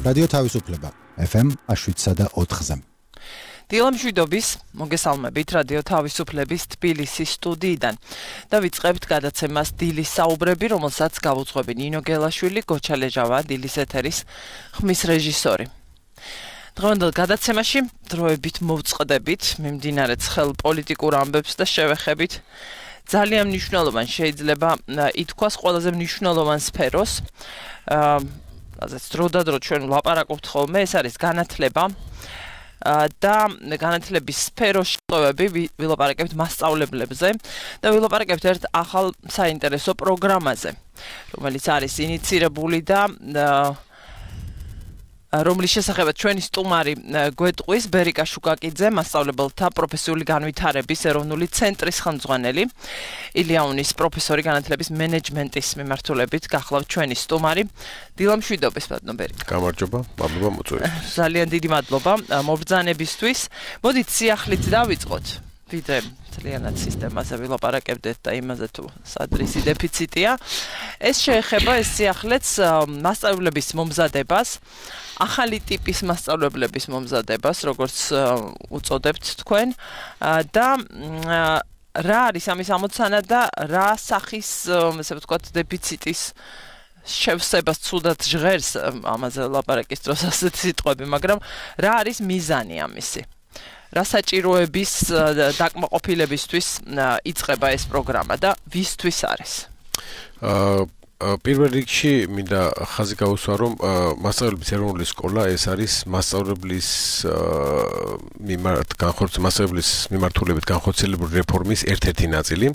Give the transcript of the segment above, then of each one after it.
რადიო თავისუფლება FM 107.4-ზე. დილა მშვიდობის, მოგესალმებით რადიო თავისუფლების თბილისის სტუდიიდან. და ვიწყებთ გადაცემას დილის საუბრები, რომელსაც გავუძღვები ნინო გელაშვილი, გოჩა ლეჟავა, დილის ეთერის ხმის რეჟისორი. დღევანდელ გადაცემაში დროებით მოვწყდებით მიმდინარე ცხელ პოლიტიკურ ამბებს და შევეხებით ძალიან მნიშვნელოვან, შეიძლება ითქვას ყველაზე მნიშვნელოვან სფეროს. ასეც დროდადრო ჩვენ ვლაპარაკობთ ხოლმე, ეს არის განათლება. და განათლების სფეროს შეტევები ვილაპარაკებთ მასწავლებლებზე და ვილაპარაკებთ ერთ ახალ საინტერესო პროგრამაზე, რომელიც არის ინიცირებული და რომლის შესახებაც ჩვენი სტუმარი გვეტყვის ბერიკა შუკაკიძე, მასწავლებელთა პროფესიული განვითარების ეროვნული ცენტრის ხელმძღვანელი, ილიაუნის პროფესორი განათლების მენეჯმენტის მიმართულებით გახლავთ ჩვენი სტუმარი. დილა მშვიდობის, ბატონო ბერიკა. გამარჯობა, მადლობა მოწვევისთვის. ძალიან დიდი მადლობა მობრძანებისთვის. მოდით სიახლით დავიწყოთ. ვიდრე ძალიანად სისტემაზე ვილაპარაკებდეთ და იმაზე თუ სადრისი დეფიციტია. ეს შეეხება ეს სიახლეც მასწავლებლების მომზადებას, ახალი ტიპის მასწავლებლების მომზადებას, როგორც უწოდებთ თქვენ, და რა არის ამის ამოცანა და რა სახის, ესე ვთქვათ, დეფიციტის შევსებას ცუდად ჟღერს ამაზე ლაპარაკის დროს ასეთი სიტყვები, მაგრამ რა არის მიზანი ამისი? რა საჭიროების დაკმაყოფილებისთვის იწყება ეს პროგრამა და ვისთვის არის? პირველ რიგში მინდა ხაზი გაუსვა, რომ მასწავლებლების ეროვნული სკოლა ეს არის მასწავლებლის მასწავლებლის მიმართულებით განხორციელებული რეფორმის ერთ-ერთი ნაწილი.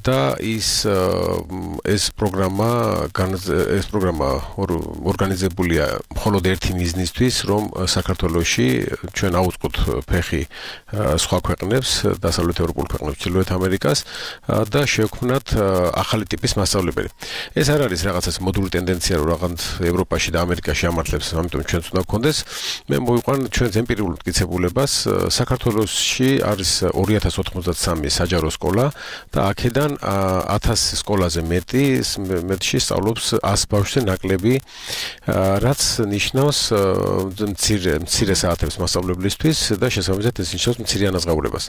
და ეს პროგრამა ორგანიზებულია მხოლოდ ერთი მიზნისთვის, რომ საქართველოში ჩვენ აუწყოთ ფეხი სხვა ქვეყნებს, დასავლეთ ევროპულ ქვეყნებს, ჩრდილოეთ ამერიკას და შევქმნათ ახალი ტიპის მასწავლებელი. ეს არ არის რაღაცას მოდული ტენდენცია, რომ რაღაც ევროპაში და ამერიკაში ამართლებს, ამიტომ ჩვენც უნდა გქონდეს. მე მოვიყვან ჩვენს ემპირიულ მტკიცებულებას. საქართველოში არის 2093 საჯარო სკოლა და აქედან 1000 სკოლაზე მეტში სწავლობს 100 ბავშვზე ნაკლები, რაც ნიშნავს მცირე საათებს მასწავლებლისთვის და შესაბამისად ეს ნიშნავს მცირე ანაზღაურებას.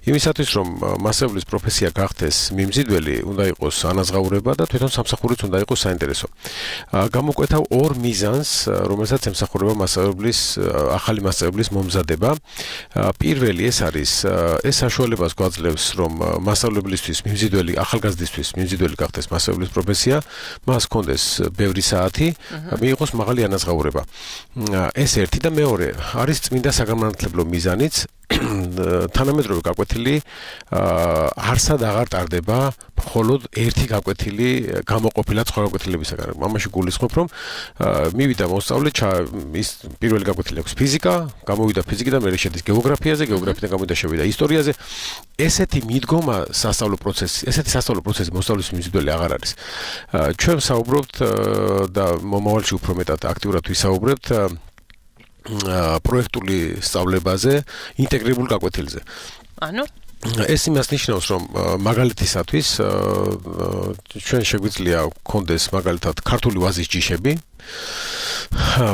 იმისათვის, რომ მასწავლებლის პროფესია გახდეს მიმზიდველი, უნდა იყოს ანაზღაურება და თვითონ სამსახურიც უნდა იყოს საინტერესო. გამოკვეთავ ორ მიზანს, რომელსაც ემსახურება ახალი მასწავლებლის მომზადება. პირველი ეს არის, ეს საშუალებას გვაძლევს, რომ მასწავლებლისთვის ახალგაზრდისთვის მიმზიდველი გახდეს მასწავლებლის პროფესია, მას ჰქონდეს ბევრი საათი, მიიღოს მაღალი ანაზღაურება. ეს ერთი და მეორე არის წმინდა საგანმანათლებლო მიზანიც. თანამედროვე გაკვეთილი არსად აღარ ტარდება მხოლოდ ერთი გაკვეთილი გამოყოფილად სხვა გაკვეთილებისაგან. ამაში გულისხმობ, რომ მივიდა მოსწავლე, ის პირველი გაკვეთილი აქვს ფიზიკა, გამოვიდა ფიზიკიდან, მერე შედის გეოგრაფიაზე, გეოგრაფიიდან გამოვიდა შევიდა ისტორიაზე. ესეთი მიდგომა სასწავლო პროცესი მოსწავლის მიმზიდველი აღარ არის. ჩვენ ვსაუბრობთ და მომავალში უფრო მეტად აქტიურად ვისაუბრებთ პროექტული სწავლებაზე, ინტეგრირებულ გაკვეთილზე. ეს იმას ნიშნავს, რომ მაგალითისათვის ჩვენ შეგვიძლია გქონდეს მაგალითად ქართული ვაზის ჯიშები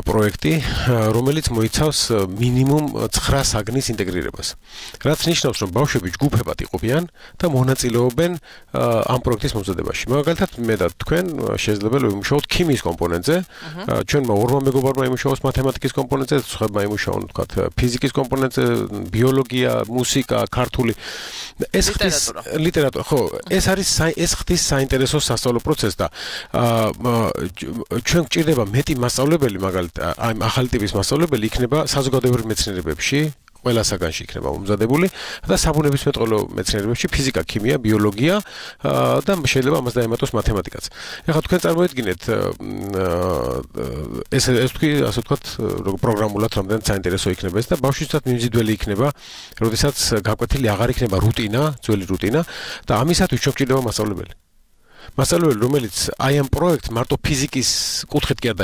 პროექტი, რომელიც მოიცავს მინიმუმ 9 საგნის ინტეგრირებას. რაც ნიშნავს, რომ ბავშვები ჯგუფებად იყოფიან და მონაწილეობენ ამ პროექტის მომზადებაში. მაგალითად, მე და თქვენ შეიძლება ვიმუშაოთ ქიმიის კომპონენტზე, ჩვენმა ორმა მეგობარმა იმუშაოს მათემატიკის კომპონენტზე, სხვაებმა იმუშაონ, თქვათ, ფიზიკის კომპონენტზე, ბიოლოგია, მუსიკა, ქართული. ეს ხდის ლიტერატურა, ხო, ეს ხდის საინტერესო სასწავლო პროცესს და ჩვენ გვჭირდება მეტი მასწავლებელი, მაგალითად, ახალი ტიპის მასწავლებელი იქნება საზოგადოებრივ მეცნიერებებში, ყველა საგანში იქნება მომზადებული და საბუნებისმეტყველო მეცნიერებებში ფიზიკა, ქიმია, ბიოლოგია და შეიძლება ამას დაემატოს მათემატიკაც. ეხლა თქვენ წარმოიდგინეთ ეს თქვი, ასე ვთქვათ, პროგრამულად რამდენად საინტერესო იქნება ეს და ბავშვისთვისაც მიმზიდველი იქნება, როდესაც გაკვეთილი აღარ იქნება რუტინა, ძველი რუტინა და ამისათვის ჩვენ გვჭირდება მასწავლებელი. მასწავლებელი, რომელიც აი ამ პროექტს მარტო ფიზიკის კუთხით კი არ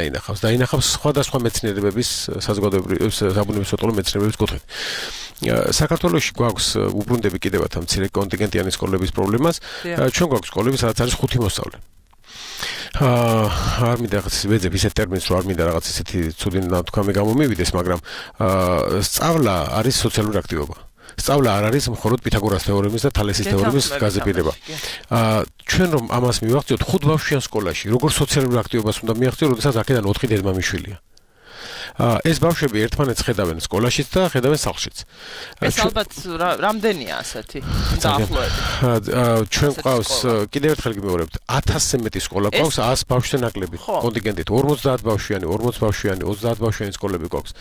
დაინახავს სხვადასხვა მეცნიერებების საბუნებისმეტყველო მეცნიერებების კუთხით. საქართველოში გვაქვს უბრუნდები კიდევაც ამ მცირე კონტინგენტიანი სკოლების პრობლემას. ჩვენ გვაქვს სკოლები, სადაც არის 5 მოსწავლე. არ მინდა რაღაც ვეძებ ისეთ ტერმინს რომ არ მინდა რაღაც ისეთი ცუდი ნათქვამი გამომივიდეს, მაგრამ სწავლა არის სოციალური აქტივობა. სწავლა არ არის მხოლოდ პითაგორას თეორემის და თალესის თეორემის გაზრდილი. ჩვენ რომ ამას მივახციოთ 5 ბავშვიან სკოლაში, როგორ სოციალურ აქტივობას უნდა მიაღწიოთ, როდესაც აქედან 4 დედმამიშვილია. ეს ბავშვები ერთმანეთს ხედავენ სკოლაშიც და ხედავენ სახლშიც. ეს ალბათ რამდენია ასეთი დაახლოებით. ჩვენ ყავს კიდევ ერთხელ გიმეორებთ 1000-ზე მეტი სკოლა ყავს 100 ბავშვზე ნაკლები კონტინგენტით 50 ბავშვიანი, 40 ბავშვიანი, 30 ბავშვიანი სკოლები ყავს.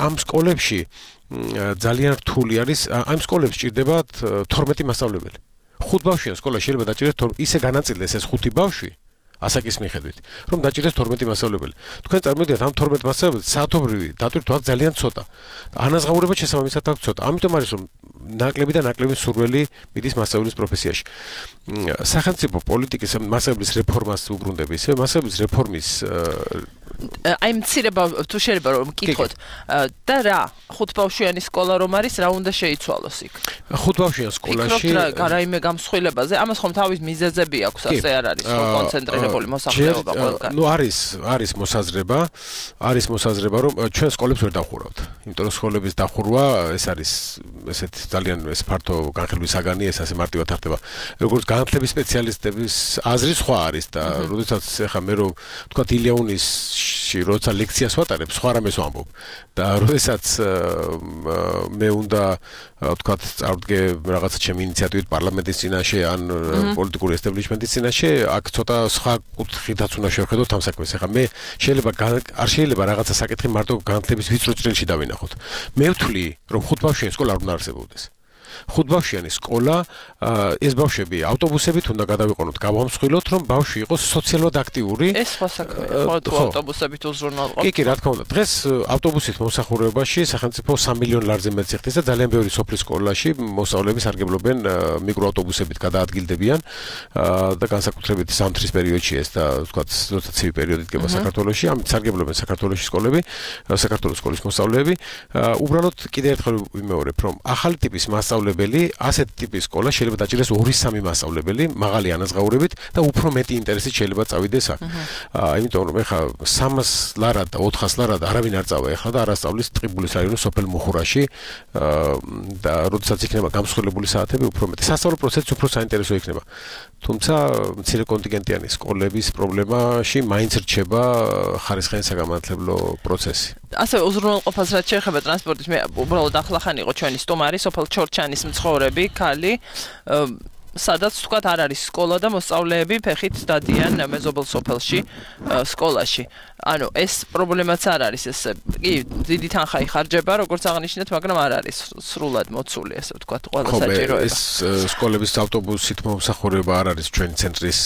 ამ სკოლებში ძალიან რთული არის, ამ სკოლებში ჭირდებათ 12 მასწავლებელი. 5 ბავშვიან სკოლა შეიძლება დაჭირდეს ისე განაწილდეს ეს 5 ბავშვი ასაკის მიხედვით, რომ დაჭირდეს 12 მასწავლებელი. თქვენ წარმოვიდგინეთ ამ 12 მასწავლებელს საათობრივი დატვირთვა ძალიან ცოტა. ანაზღაურება შესაბამისად აქვს ცოტა. ამიტომ არის რომ ნაკლები და ნაკლები სურველი მიდის მასწავლებლის პროფესიაში. სახელმწიფო პოლიტიკის მასწავლებლის რეფორმას უბრუნდები, ისე მასწავლებლის რეფორმის აი მცირება თუ შეიძლება რომ მკითხოთ და რა 5 ბავშვიანი სკოლა რომ არის რა უნდა შეიცვალოს იქ 5 ბავშვიან სკოლაში რაიმე გამსხვილებაზე ამას ხომ თავის მიზეზები აქვს ასე არ არის რომ კონცენტრირებული მოსახლეობა ყველგან ნუ არის მოსაზრება რომ ჩვენ სკოლებს ვერ დავხურავთ იმიტომ რომ სკოლების დახურვა ეს არის ესეთი ძალიან ეს ფართო განხილვის საგანი ეს ასე მარტივად თარდება როგორც განათლების სპეციალისტების აზრი სხვა არის და როდესაც ეხა მე რომ თქვა ილეონის როცა ლექციას ვატარებ, სხვა რამეს ვამბობ. და როდესაც მე უნდა ვთქვათ, წავდგე რაღაცა ჩემი ინიციატივით პარლამენტის წინაშე ან პოლიტიკური ესტაბლიშმენტის წინაშე, აქ ცოტა სხვა კუთხითაც უნდა შევხედოთ ამ საქმეს. ეხლა მე არ შეიძლება რაღაცა საკითხი მარტო განათლების ვიწრო წრეში დავინახოთ. მე ვთვლი, რომ 5 ბავშვიანი სკოლა არ უნდა არსებობდეს. 5 ბავშვიანი სკოლა ეს ბავშვები ავტობუსებით უნდა გადავიყონოთ, გავამსხვილოთ, რომ ბავშვი იყოს სოციალურად აქტიური. ეს სხვა საქმეა, ხო, ავტობუსებით უზრუნველყოფ. კი, რა თქმა უნდა. დღეს ავტობუსით მომსახურებაში სახელმწიფო 3 მილიონ ლარზე მეტს იხდის და ძალიან ბევრი სოფლის სკოლაში მოსწავლეები სარგებლობენ მიკროავტობუსებით გადაადგილდებიან და განსაკუთრებით ზამთრის პერიოდში ეს და ვთქვათ, როცა ცივი პერიოდი დგება საქართველოში, ამით სარგებლობენ საქართველოში სკოლები, საქართველოს სკოლის მოსწავლეები. უბრალოდ კიდევ ერთხელ ვიმეორებ, რომ ახალი ტიპის მასწავლებელი ასეთ ტიპის სკოლა შეიძლება დაჭირდეს 2-3 მასწავლებელი, მაღალი ანაზღაურებით და უფრო მეტი ინტერესით შეიძლება წავიდეს აქ. იმიტომ რომ ეხლა 300 ლარად და 400 ლარად არავინ არ წავა ეხლა და არასწავლის ტყიბულის რაიონის სოფელ მუხურაში და როდესაც იქნება გამსხვილებული საათები უფრო მეტი. სასწავლო პროცესიც უფრო საინტერესო იქნება. თუმცა მცირე კონტინგენტიანი სკოლების პრობლემაში მაინც რჩება ხარისხიანი საგანმანათლებლო პროცესი. ასე უზრუნველყოფას რაც შეეხება ტრანსპორტის მე უბრალოდ ახლახანი იყო ჩვენი სტუმარი სოფელ ჩორჩანის მცხოვრები ქალი სადაც თქვათ არ არის სკოლა და მოსწავლეები ფეხით დადიან მეზობელ სოფელში სკოლაში. ანუ ეს პრობლემაც არ არის ეს კი დიდი თანხა იხარჯება როგორც აღნიშნეთ, მაგრამ არ არის სრულად მოცული ესე ვთქვათ ყველა საჭიროება. ეს სკოლების ავტობუსით მომსახურება არ არის ჩვენი ცენტრის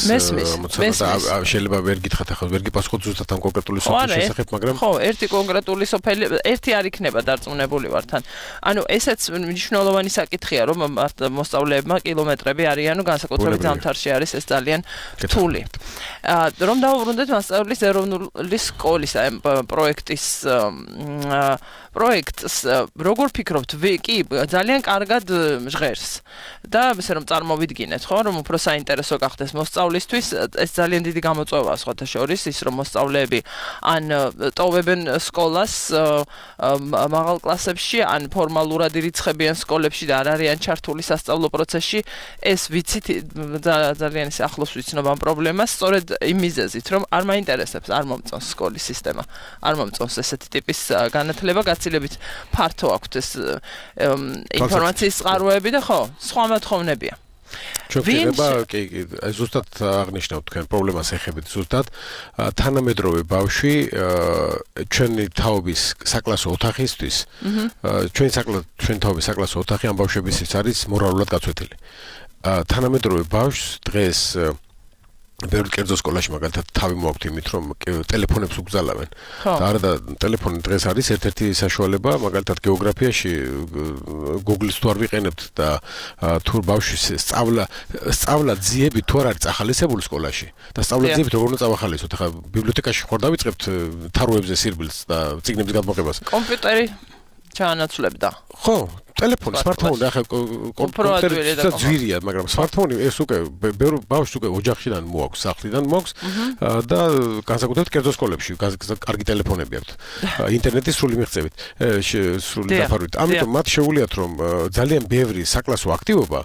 მოცემულობა. შეიძლება ვერ გითხრათ ახლა ვერ გიპასუხოთ ზუსტად ამ კონკრეტული სოფლის შესახებ, მაგრამ ხო, ერთი კონკრეტული სოფელი ერთი არ იქნება დარწმუნებული ვარ თან. ანუ ესეც მნიშვნელოვანი საკითხია რომ მოსწავლეებმა კილომეტრები არიანო განსაკუთრებით ზამთარში არის ეს ძალიან რთული. რომ დავუბრუნდეთ მასწავლებლის ეროვნული სკოლის პროექტს როგორ ფიქრობთ კი ძალიან კარგად ჟღერს და ესე რომ წარმოვიდგინეთ ხო რომ უფრო საინტერესო გახდეს მოსწავლისთვის ეს ძალიან დიდი გამოწვევაა სხვათა შორის ის რომ მოსწავლეები ან ტოვებენ სკოლას მაღალ კლასებში ან ფორმალურად ირიცხებიან სკოლებში და არ არიან ჩართული სასწავლო პროცესში ეს ვიცით ძალიან ისე ახლოს ვიცნობ ამ პრობლემას სწორედ იმ მიზეზით რომ არ მაინტერესებს არ მომწონს სკოლის სისტემა არ მომწონს ესეთი ტიპის განათლება გაცილებით ფართო აქვს ეს ინფორმაციის წყაროები და ხო სხვა მოთხოვნებია შეიძლება კი ზუსტად აღნიშნავთ თქვენ პრობლემას ეხებით ზუსტად თანამედროვე ბავშვი ჩვენი თაობის საკლასო ოთახისთვის ჩვენი თაობის საკლასო ოთახი ამ ბავშვებისთვის არის მორალურად გაწვეთილი თანამედროვე ბავშვს დღეს ბევრი კერძო სკოლაში მაგალითად თავი მოაქვთ იმით რომ ტელეფონებს უგზალავენ და არა და ტელეფონი დღეს არის ერთ-ერთი საშუალება მაგალითად გეოგრაფიაში Google-ს თუ არ ვიყენებთ და თუ ბავშვის სწავლა ძიები თუ არ არის ახალისებული სკოლაში და სწავლა ძიებით როგორ უნდა წავახალისოთ ახლა ბიბლიოთეკაში ხარ დავიწყებთ თაროებზე სირბილს და წიგნების გადმოღებას კომპიუტერი ჩაანაცვლებდა. ხო, ტელეფონი, სმარტფონი ახლა კომპიუტერი ძვირია, მაგრამ სმარტფონი ეს უკვე ბევრ ბავშვს უკვე ოჯახიდან მოაქვს, სახლიდან მოაქვს და განსაკუთრებით კერძო სკოლებში კარგი ტელეფონები აქვთ. ინტერნეტის სრული მიღწევით, სრული დაფარვით. ამიტომ მათ შეუძლიათ რომ ძალიან ბევრი საკლასო აქტივობა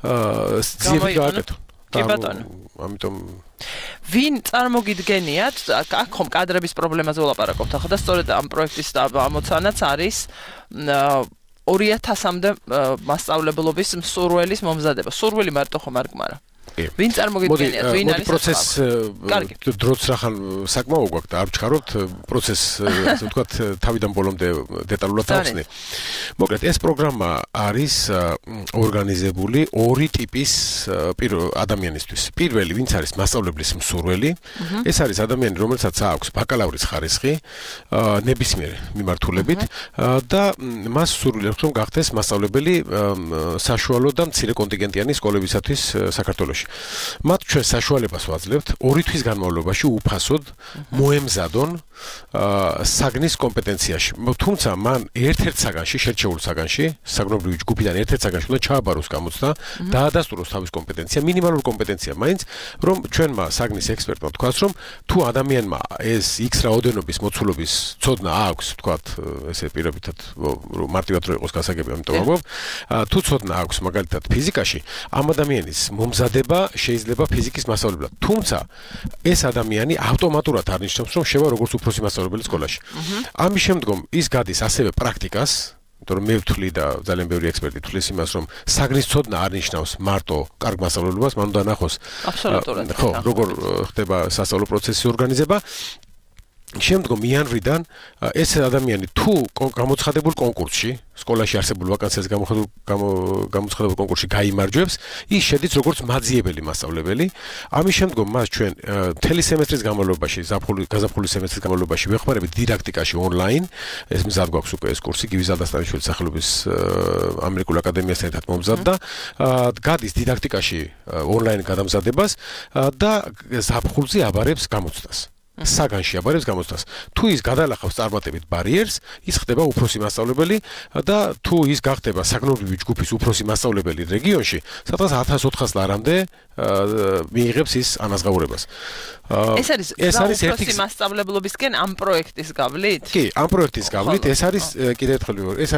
ძიებით გააკეთონ. კი ბატონო. ამიტომ ვინ წარმოგიდგენიათ, აქ ხომ კადრების პრობლემაზე ვლაპარაკობთ ახლა და სწორედ ამ პროექტის ამოცანაც არის 2000-მდე მასწავლებლობის მსურველის მომზადება. სურვილი მარტო ხომ არ გმარა. ვინ წარმოგიდგენიათ, ვინ არის პროცესს დროც რახან საკმაო გვაქვს და არ ვჩქარობთ პროცესს, ასე ვთქვათ, თავიდან ბოლომდე დეტალურად ავხსნი. მოკლედ, ეს პროგრამა არის ორგანიზებული ორი ტიპის ადამიანისთვის. პირველი, ვინც არის მასწავლებლის მსურველი, ეს არის ადამიანი, რომელსაც აქვს ბაკალავრის ხარისხი, ნებისმიერ მიმართულებით და მას სურვილი აქვს, რომ გახდეს მასწავლებელი საშუალო და მცირე კონტინგენტიანი სკოლებისათვის საქართველოში. მათ ჩვენ საშუალებას ვაძლევთ 2 თვის განმავლობაში უფასოდ მოემზადონ საგნის კომპეტენციაში. თუმცა მან ერთ-ერთ საგანში, შერჩეულ საგანში, საგნობრივი ჯგუფიდან ერთ-ერთ საგანში უნდა ჩააბაროს გამოცდა, დაადასტუროს თავის კომპეტენცია, მინიმალური კომპეტენცია მაინც, რომ ჩვენმა საგნის ექსპერტმა თქვას, რომ თუ ადამიანმა ეს X რაოდენობის მოცულობის ცოდნა აქვს, თქვათ, ესე პირობითად მარტივად რო იყოს გასაგები, ამიტომ ვამბობ, თუ ცოდნა აქვს მაგალითად ფიზიკაში, ამ ადამიანის მომზადება შეიძლება ფიზიკის მასწავლებლად. თუმცა ეს ადამიანი ავტომატურად არნიშნავს, რომ შევა როგორც უფროსი მასწავლებელი სკოლაში. ამის შემდგომ ის გადის ასევე პრაქტიკას, იმიტომ რომ მე ვთვლი და ძალიან ბევრი ექსპერტი თვლის იმას, რომ საგნის ცოდნა არნიშნავს მარტო კარგ მასწავლებლობას, მან უნდა ნახოს ხო, როგორ ხდება სასწავლო პროცესის ორგანიზება. შემდგომ იანვრიდან ეს ადამიანი თუ გამოცხადებულ კონკურსში, სკოლაში არსებულ ვაკანსიას გამოცხადებულ კონკურსში გაიმარჯვებს, ის შედის როგორც მაძიებელი მასწავლებელი. ამის შემდგომ მას ჩვენ მთელი სემესტრის განმავლობაში, გაზაფხულის სემესტრის განმავლობაში ვეხმარებით დიდაქტიკაში ონლაინ. ეს მზად გვაქვს უკვე ეს კურსი, გივიზ ადასტანიშვილის სახელობის ამერიკულ აკადემიასთან ერთად მომზადდა. გადის დიდაქტიკაში ონლაინ გადამზადებას და ზაფხულზე აბარებს გამოცდას. საგანში აბარებს გამოცდას. თუ ის გადალახავს წარმატებით ბარიერს, ის ხდება უფროსი მასწავლებელი და თუ ის გახდება საგნობრივი ჯგუფის უფროსი მასწავლებელი რეგიონში, სადღაც 1400 ლარამდე მიიღებს ის ანაზღაურებას. ეს არის უფროსი მასწავლებლობისკენ ამ პროექტის გავლით? კი, ამ პროექტის გავლით ეს არის კიდევ ერთხელ ეს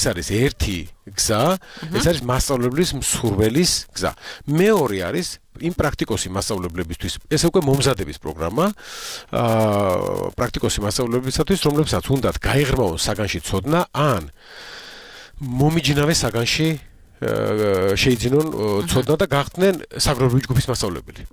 არის ერთი გზა, ეს არის მასწავლებლის მსურველის გზა. მეორე არის იმ პრაქტიკოსი მასწავლებლებისთვის, ეს უკვე მომზადების პროგრამა, პრაქტიკოსი მასწავლებლებისათვის, რომლებსაც უნდათ გაიღრმავონ საგანში ცოდნა ან მომიჯნავე საგანში შეიძინონ ცოდნა და გახდნენ საგროვი ჯგუფის მასწავლებელი.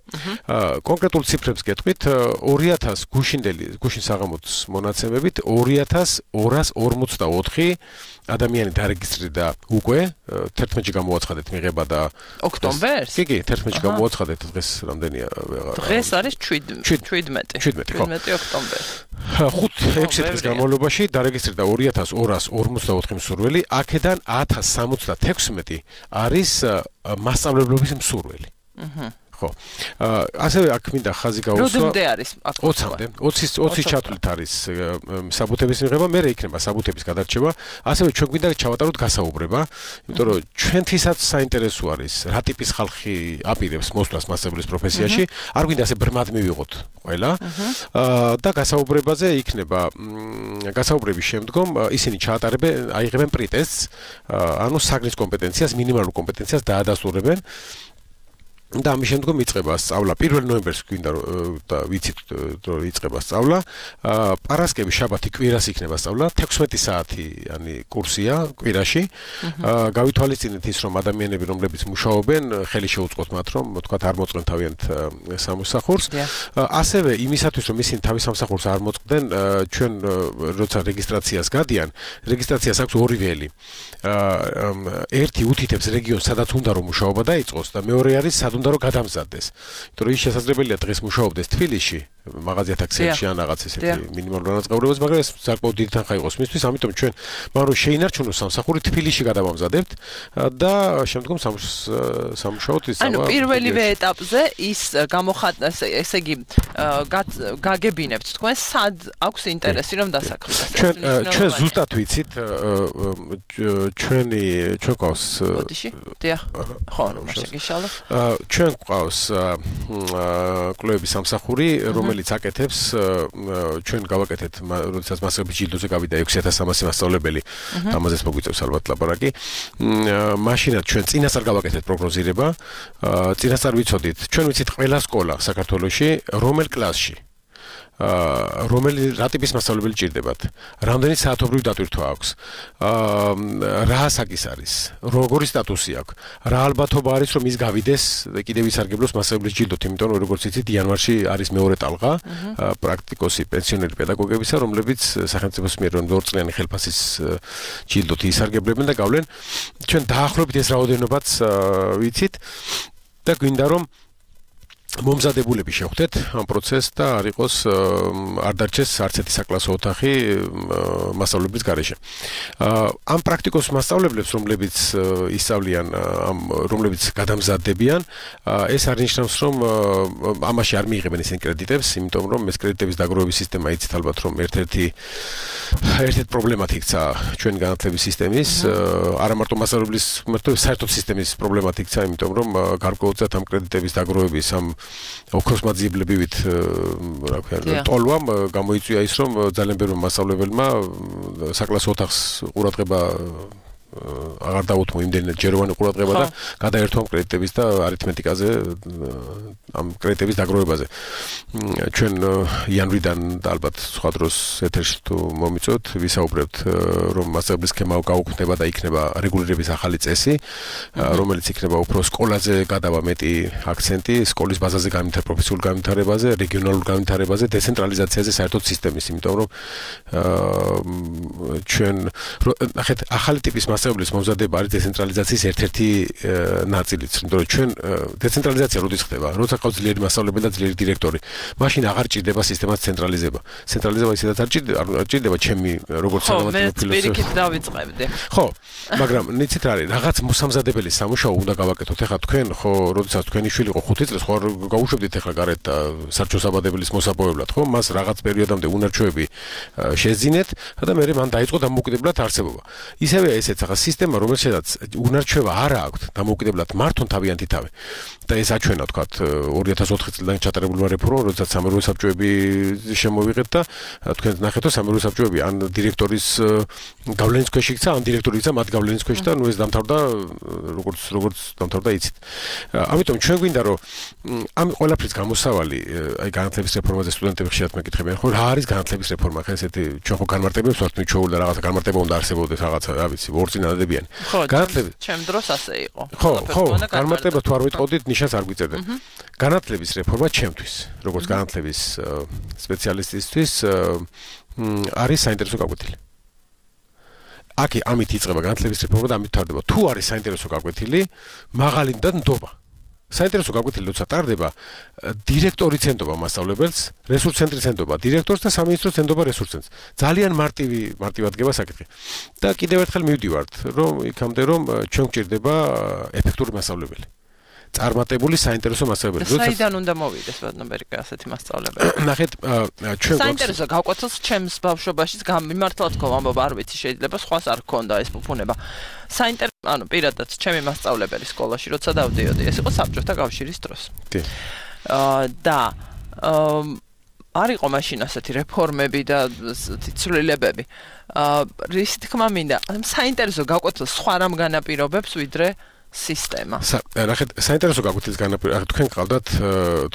კონკრეტულ ციფრებს გეტყვით, 2000 გუშინ საღამოს მონაცემებით 2244 ადამიანი დარეგისტრირდა უკვე 11-ში გამოაცხადეთ მიღება და ოქტომბერს? კი, 11-ში გამოაცხადეთ, დღეს რამდენია? დღეს არის 17 ოქტომბერი. 5-6 დღის განმავლობაში დარეგისტრირდა 2244 მსურველი, აქედან 1076 არის მასწავლებლობის მსურველი. ხო. ასევე აქ მინდა ხაზი გაუსვა. რომდე არის აქ? 20-მდე. 20 ჩათვლით არის საბუთების მიღება, მერე იქნება საბუთების გადარჩევა. ასევე ჩვენ გვინდა ჩავატაროთ გასაუბრება, იმიტომ რომ ჩვენთვისაც საინტერესო არის რა ტიპის ხალხი აპირებს მოსვლას მასწავლებლის პროფესიაში. არ გვინდა ასე ბრმად მივიღოთ ყველა. და გასაუბრებაზე იქნება გასაუბრების შემდგომ ისინი აიღებენ პრიტესტს, ანუ საგნის კომპეტენციას, მინიმალურ კომპეტენციას დაადასტურებენ. და ამის შემდგომ იწყება სწავლა 1 ნოემბერს გვინდა და ვიცით რომ იწყება სწავლა. პარასკევი, შაბათი, კვირას იქნება სწავლა, 16 საათიანი კურსია კვირაში. გავითვალისწინეთ ის, რომ ადამიანები, რომლებიც მუშაობენ, ხელი შეუწყოთ მათ, რომ თქვათ არ მოწყენ თავიანთ სამსახურს. ასევე იმისათვის, რომ ისინი თავის სამსახურს არ მოწყდნენ, ჩვენ როცა რეგისტრაციას გადიან, რეგისტრაციას აქვს ორი ველი. ერთი უთითებს რეგიონს, სადაც უნდა რომ მუშაობა დაიწყოს და მეორე არის სად უნდა რომ გადამზადდეს. იმიტომ რომ ის შესაძლებელია დღეს მუშაობდეს თბილისში, მაღაზიათა ქსელში ან რაღაც ესეთი მინიმალური განაწყობლებას, მაგრამ ეს საკმაოდ დიდი თანხა იყოს მისთვის, ამიტომ ჩვენ მაგრამ შეინარჩუნოს სამსახური თბილისში გადავამზადებთ და შემდგომ სამუშაოდ ისავა. ანუ პირველივე ეტაპზე ის ესე იგი გაგებინებთ თქვენ სად აქვს ინტერესი რომ დასაქმდას. ჩვენ ზუსტად ვიცით ჩვენ ყავს ბოდიში? დიახ. ხო, მაშინ გიშალო. ჩვენ ყავს კლუბების სამსახური, რომელიც აკეთებს ჩვენ გავაკეთეთ, როდესაც მასწავლებელი ჯილდოზე გავიდა 6300 მასწავლებელი, ამაზეც მოგვიწევს ალბათ ლაპარაკი. მაშინაც ჩვენ წინასწარ გავაკეთეთ პროგნოზირება, წინასწარ ვიცოდით, ჩვენ ვიცით ყველა სკოლა საქართველოში, რომელ კლასში რომელი რა ტიპის მასწავლებელი ჭირდებათ, რამდენი საათობრივი დატვირთვა აქვს, რა ასაკის არის, როგორი სტატუსი აქვს, რა ალბათობა არის რომ ის გავიდეს კიდევ ისარგებლოს მასწავლებლის ჯილდოთ, იმიტომ რომ როგორც იცით იანვარში არის მეორე ტალღა, პრაქტიკოსი, პენსიონერი პედაგოგებისა, რომლებიც სახელმწიფოს მიერ 2 წლიანი ხელფასის ჯილდოთ ისარგებლებენ და გავლენ. ჩვენ დაახლოებით ეს რაოდენობაც ვიცით და გვინდა რომ მომზადებულები შევხვდეთ ამ პროცესს და არ იყოს არ დარჩეს არც ერთი საკლასო ოთახი მასწავლებლის გარეშე. ამ პრაქტიკოს მასწავლებლებს, რომლებიც ისწავლიან, რომლებიც გადამზადდებიან, ეს არნიშნავს, რომ ამაში არ მიიღებენ ისინი კრედიტებს, იმიტომ რომ ეს კრედიტების დაგროვების სისტემა იცით ალბათ, რომ ერთ-ერთი პრობლემად იქცა ჩვენი განათლების სისტემის, არა მარტო მასწავლებლის, საერთოდ სისტემის პრობლემად იქცა, იმიტომ რომ გარკვეულწილად ამ კრედიტების დაგროვების ამ ოქროსმაძიებლებივით რა ქვია ტოლვამ გამოიწვია ის რომ ძალიან ბევრი მასწავლებელმა საკლასო ოთახს ყურადღება აღარ დაუთმო იმდენად ჯეროვანი ყურადღება და გადაერთვა კრედიტების და არითმეტიკაზე ამ კრედიტების დაგროვებაზე. ჩვენ იანვრიდან და ალბათ სხვა დროს ეთერში თუ მომიწევთ, ვისაუბრებთ რომ მასწავლებლის სქემა გაუქმდება და იქნება რეგულირების ახალი წესი, რომელიც იქნება უფრო სკოლაზე გადავა მეტი აქცენტი, სკოლის ბაზაზე პროფესიულ განვითარებაზე, რეგიონალურ განვითარებაზე, დეცენტრალიზაციაზე საერთოდ სისტემის, იმიტომ რომ ჩვენ ნახეთ ახალი ტიპის მასწავლებლის მომზადება არის დეცენტრალიზაციის ერთ-ერთი ნაწილიც, იმიტომ რომ ჩვენ დეცენტრალიზაცია როდის ხდება? როცა ყავს ძლიერი მასწავლებელი და ძლიერი დირექტორი, მაშინ აღარ ჭირდება სისტემას ცენტრალიზება. ცენტრალიზება ისედაც არ ჭირდება ჩემი როგორც საგამოწმო ფილოსოფია. მე პირიქით დავიწყებდი. ხო, მაგრამ იცით რა არის, რაღაც მოსამზადებელი სამუშაო უნდა გავაკეთოთ. ეხლა თქვენ ხო, როდესაც თქვენი შვილი იყო 5 წლის, ხო გაუშვებდით ეხლა გარეთ სარჩოსაბადებლის მოსაპოვებლად, ხო? მას რაღაც პერიოდამდე უნარჩვევები შეძინეთ და მე მან დაიწყო დამოუკიდებლად არსებობა. ისევე ესეც ახლა სისტემა, რომელშიც უნარჩვევა არ აქვს, დამოუკიდებლად მართონ თავიანთი თავი. და ეს აჩვენა თქვათ 2004 წლიდან ჩატარებულმა რეფორმამ, როდესაც სამეურვე საბჭოები შემოვიღეთ და თქვენ ნახეთ, რომ სამეურვე საბჭოები ან დირექტორის გავლენის ქვეშ იქცა, ან დირექტორი იქცა მათ გავლენის ქვეშ და ნუ ეს დამთავრდა როგორც დამთავრდა იცით. ამიტომ ჩვენ გვინდა რომ ამ ყველაფრის გამოსავალი, აი განათლების რეფორმაზე სტუდენტები ხშირად მეკითხებიან, ხო რა არის განათლების რეფორმა? ხა ესეთი ჩვენ ხო განმარტებებს ვართ მიჩვეული და რაღაცა განმარტება უნდა არსებობდეს რაღაცა, რა ვიცი, ორწინადებიანი. განათლების ჩემ დროს ასე იყო. ხო, განმარტება თუ არ ვიტყოდით, ნიშანს არ გვიწერდეთ. განათლების რეფორმა ჩემთვის, როგორც განათლების სპეციალისტისთვის არის საინტერესო გაკვეთილი. აქ ამით იწყება განათლების რეფორმა და ამით თარდება. თუ არის საინტერესო გაკვეთილი, მაღალი და ნდობა. საინტერესო გაკვეთილი როცა ტარდება, დირექტორი ცენდობა მასწავლებელს, რესურს ცენტრი ცენდობა დირექტორს და სამინისტრო ცენდობა რესურს ცენტრს. ძალიან მარტივად გება საკითხი. და კიდევ ერთხელ მივდივართ, რომ იქამდე რომ ჩვენ გვჭირდება ეფექტური მასწავლებელი. წარმატებული საინტერესო მასწავლებელი. საიდან უნდა მოვიდეს ვადნობერიკა ასეთი მასწავლებელი? ნახეთ, ჩვენ საინტერესო გაკვეთილს ჩემს ბავშვობაშიც მიმართლად თქო, ამბობ არ ვიცი, შეიძლება სხვას არ ქონდა ეს ფუფუნება. ანუ პირადად ჩემი მასწავლებელი სკოლაში როცა დავდიოდი, ეს იყო საბჭოთა კავშირის დროს. კი. და არ იყო მაშინ ასეთი რეფორმები და ცვლილებები. რის თქმა მინდა, საინტერესო გაკვეთილს სხვა რამ განაპირობებს ვიდრე სისტემა. ნახეთ, საინტერესო გაკვეთილის განაპირობა, თქვენ ყავდათ,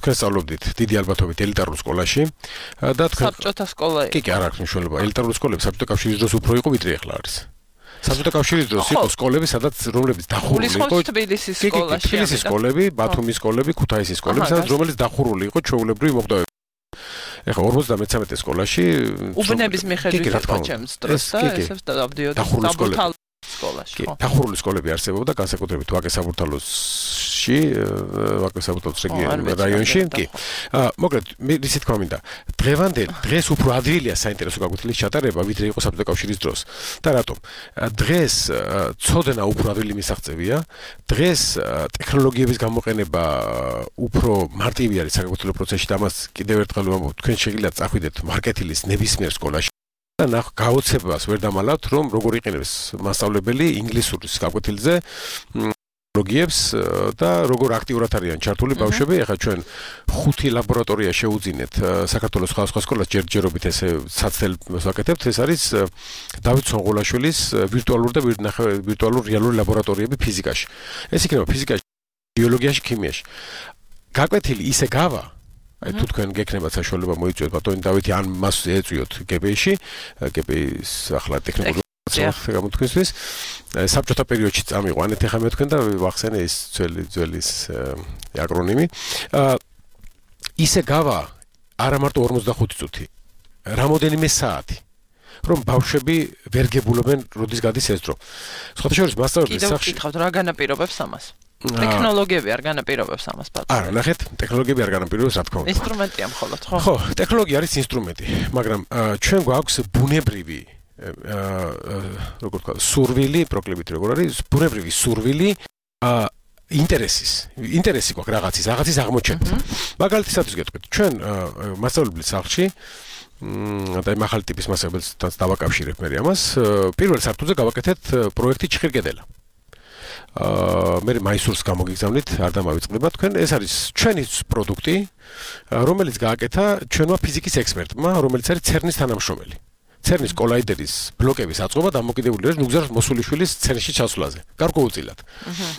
თქვენ სწავლობდით დიდი ალბათობით ელიტარულ სკოლაში და თქვენ საბჭოთა სკოლა. კი, არ აქვს მნიშვნელობა. ელიტარული სკოლები საბჭოთა კავშირის დროს უფრო იყო ვიდრე ახლა არის. საბჭოთა კავშირის დროს იყო სკოლები, სადაც რომლებიც დახურული იყო თბილისის სკოლაში. თბილისის სკოლები, ბათუმის სკოლები, ქუთაისის სკოლები, სადაც რომელიც დახურული იყო ჩვეულებრივი მოგდავები. ეხლა 53 სკოლაში უბნების მიხედვით იყო ჩემს დროს და ესეც დავდიოდი საბურთალოს სკოლაში. დახურული სკოლები არსებობდა, განსაკუთრებით ვაკე საბურთალოს ოფისში ვაკის საბუთოს რაიონში კი მოკლედ ისი თქვა მინდა დღეს უფრო ადვილია საინტერესო გაკვეთილის ჩატარება ვიდრე იყო საბჭოთა კავშირის დროს და რატომ დღეს ცოდნა უფრო ადვილი მისაღწევია დღეს ტექნოლოგიების გამოყენება უფრო მარტივი არის საგაკვეთილო პროცესში და ამას კიდევ ერთხელ ვამბობ თქვენ შეგიძლიათ წახვიდეთ მარკეტილის ნებისმიერ სკოლაში და გაოცებას ვერ დამალავთ რომ როგორ იყენებს მასწავლებელი ინგლისურის გაკვეთილზე ტექნოლოგიებს და როგორ აქტიურად არიან ჩართული ბავშვები ახლა ჩვენ 5 ლაბორატორია შეუძინეთ საქართველოს სხვადასხვა სკოლას ჯერჯერობით ესე საცდელს ვაკეთებთ ეს არის დავით სონღოლაშვილის ვირტუალური და ვირტუალურ რეალური ლაბორატორიები ფიზიკაში ეს იქნება ფიზიკაში ბიოლოგიაში ქიმიაში გაკვეთილი ისე გავა აი თუ თქვენ გექნებათ საშუალება მოიწვიოთ ბატონი დავითი ან მას ეწვიოთ გებეიში გებეის ახლა ტექნიკური გამოთქვისთვის საბჭოთა პერიოდში წამიყვანეთ ახლა მე თქვენ და ვახსენე ის ძველის აკრონიმი ისე გავა არა მარტო 45 წუთი რამოდენიმე საათი რომ ბავშვები ვერ გებულობენ როდის გადის ეს დრო სხვათა შორის მასწავლებლის სახში კიდევ ვკითხავთ რა განაპირობებს ამას ტექნოლოგიები არ განაპირობებს ამას ბატონო არა ნახეთ ტექნოლოგიები არ განაპირობებს რა თქმა უნდა ინსტრუმენტია მხოლოდ ხო ხო ტექნოლოგია არის ინსტრუმენტი მაგრამ ჩვენ გვაქვს ბუნებრივი როგორ თქვა სურვილი პროკლებით როგორ არის ბუნებრივი სურვილი ინტერესი გვაქვს რაღაცის აღმოჩენით მაგალითად გეტყვით ჩვენ მასწავლებლის სახლში და მაღალი ტიპის მასწავლებელს დავაკავშირებ მე ამას პირველ საფრთხეზე გავაკეთეთ პროექტი ჭხირგედელა მე მაისურს გამოგიგზავნით არ დამავიწყდება თქვენ ეს არის ჩვენი პროდუქტი რომელიც გააკეთა ჩვენმა ფიზიკის ექსპერტმა რომელიც არის CERN-ის თანამშრომელი CERN-ის კოლაიდერის ბლოკების აწყობა დამოკიდებული არის ნუგზარ მოსულიშვილის CERN-ში ჩასვლაზე გარკვეულწილად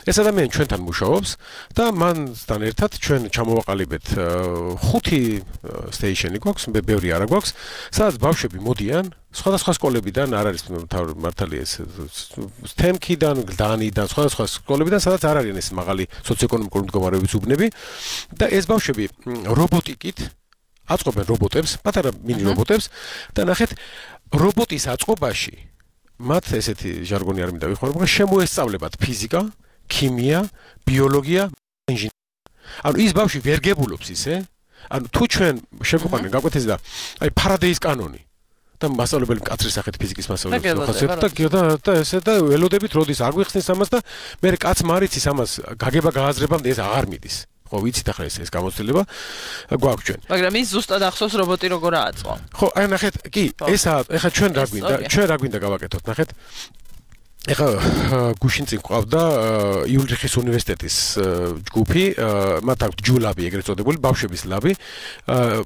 ეს ადამიანი ჩვენთან მუშაობს და მანთან ერთად ჩვენ ჩამოვაყალიბეთ 5 სტეიშენი გვაქვს ბევრი არა გვაქვს სადაც ბავშვები მოდიან სხვადასხვა სკოლებიდან არ არის მართალია ეს STEM-კიდან, გლდანიდან, სხვადასხვა სკოლებიდან, სადაც არ არიან ეს მაღალი სოციოეკონომიკური მდგომარეობის უბნები და ეს ბავშვები რობოტიკით აწყობენ რობოტებს, პატარა მინი რობოტებს და ნახეთ რობოტის აწყობაში მათ ესეთი ჟარგონი არ მინდა ვიხმარო, მაგრამ შემოესწავლებათ ფიზიკა, ქიმია, ბიოლოგია, ინჟინერია. ანუ ის ბავშვი ვერ გებულობს ისე, ანუ თუ ჩვენ შეგვიყვანენ გაკვეთილზე და აი ფარადეის კანონი და მასწავლებელი კაცრის სახით ფიზიკის მასწავლებელი ხასიათი და ესე და ველოდებით როდის არ გვიხსნის ამას და მე კაც მარიცის ამას გაგება გააზრებამდე ეს აღარ მიდის ხო ვიცით ახლა ეს გამოცდილება გვაქვს ჩვენ მაგრამ ის ზუსტად ახსოვს რობოტი როგორ ააწყო ხო აი ნახეთ კი ესა ეხა ჩვენ რა გვინდა გავაკეთოთ ნახეთ ეხა გუშინ წინ ყავდა იულრიხის უნივერსიტეტის ჯგუფი მათ აქვს ჯულაბი ეგრეთ წოდებული ბავშვების ლაბი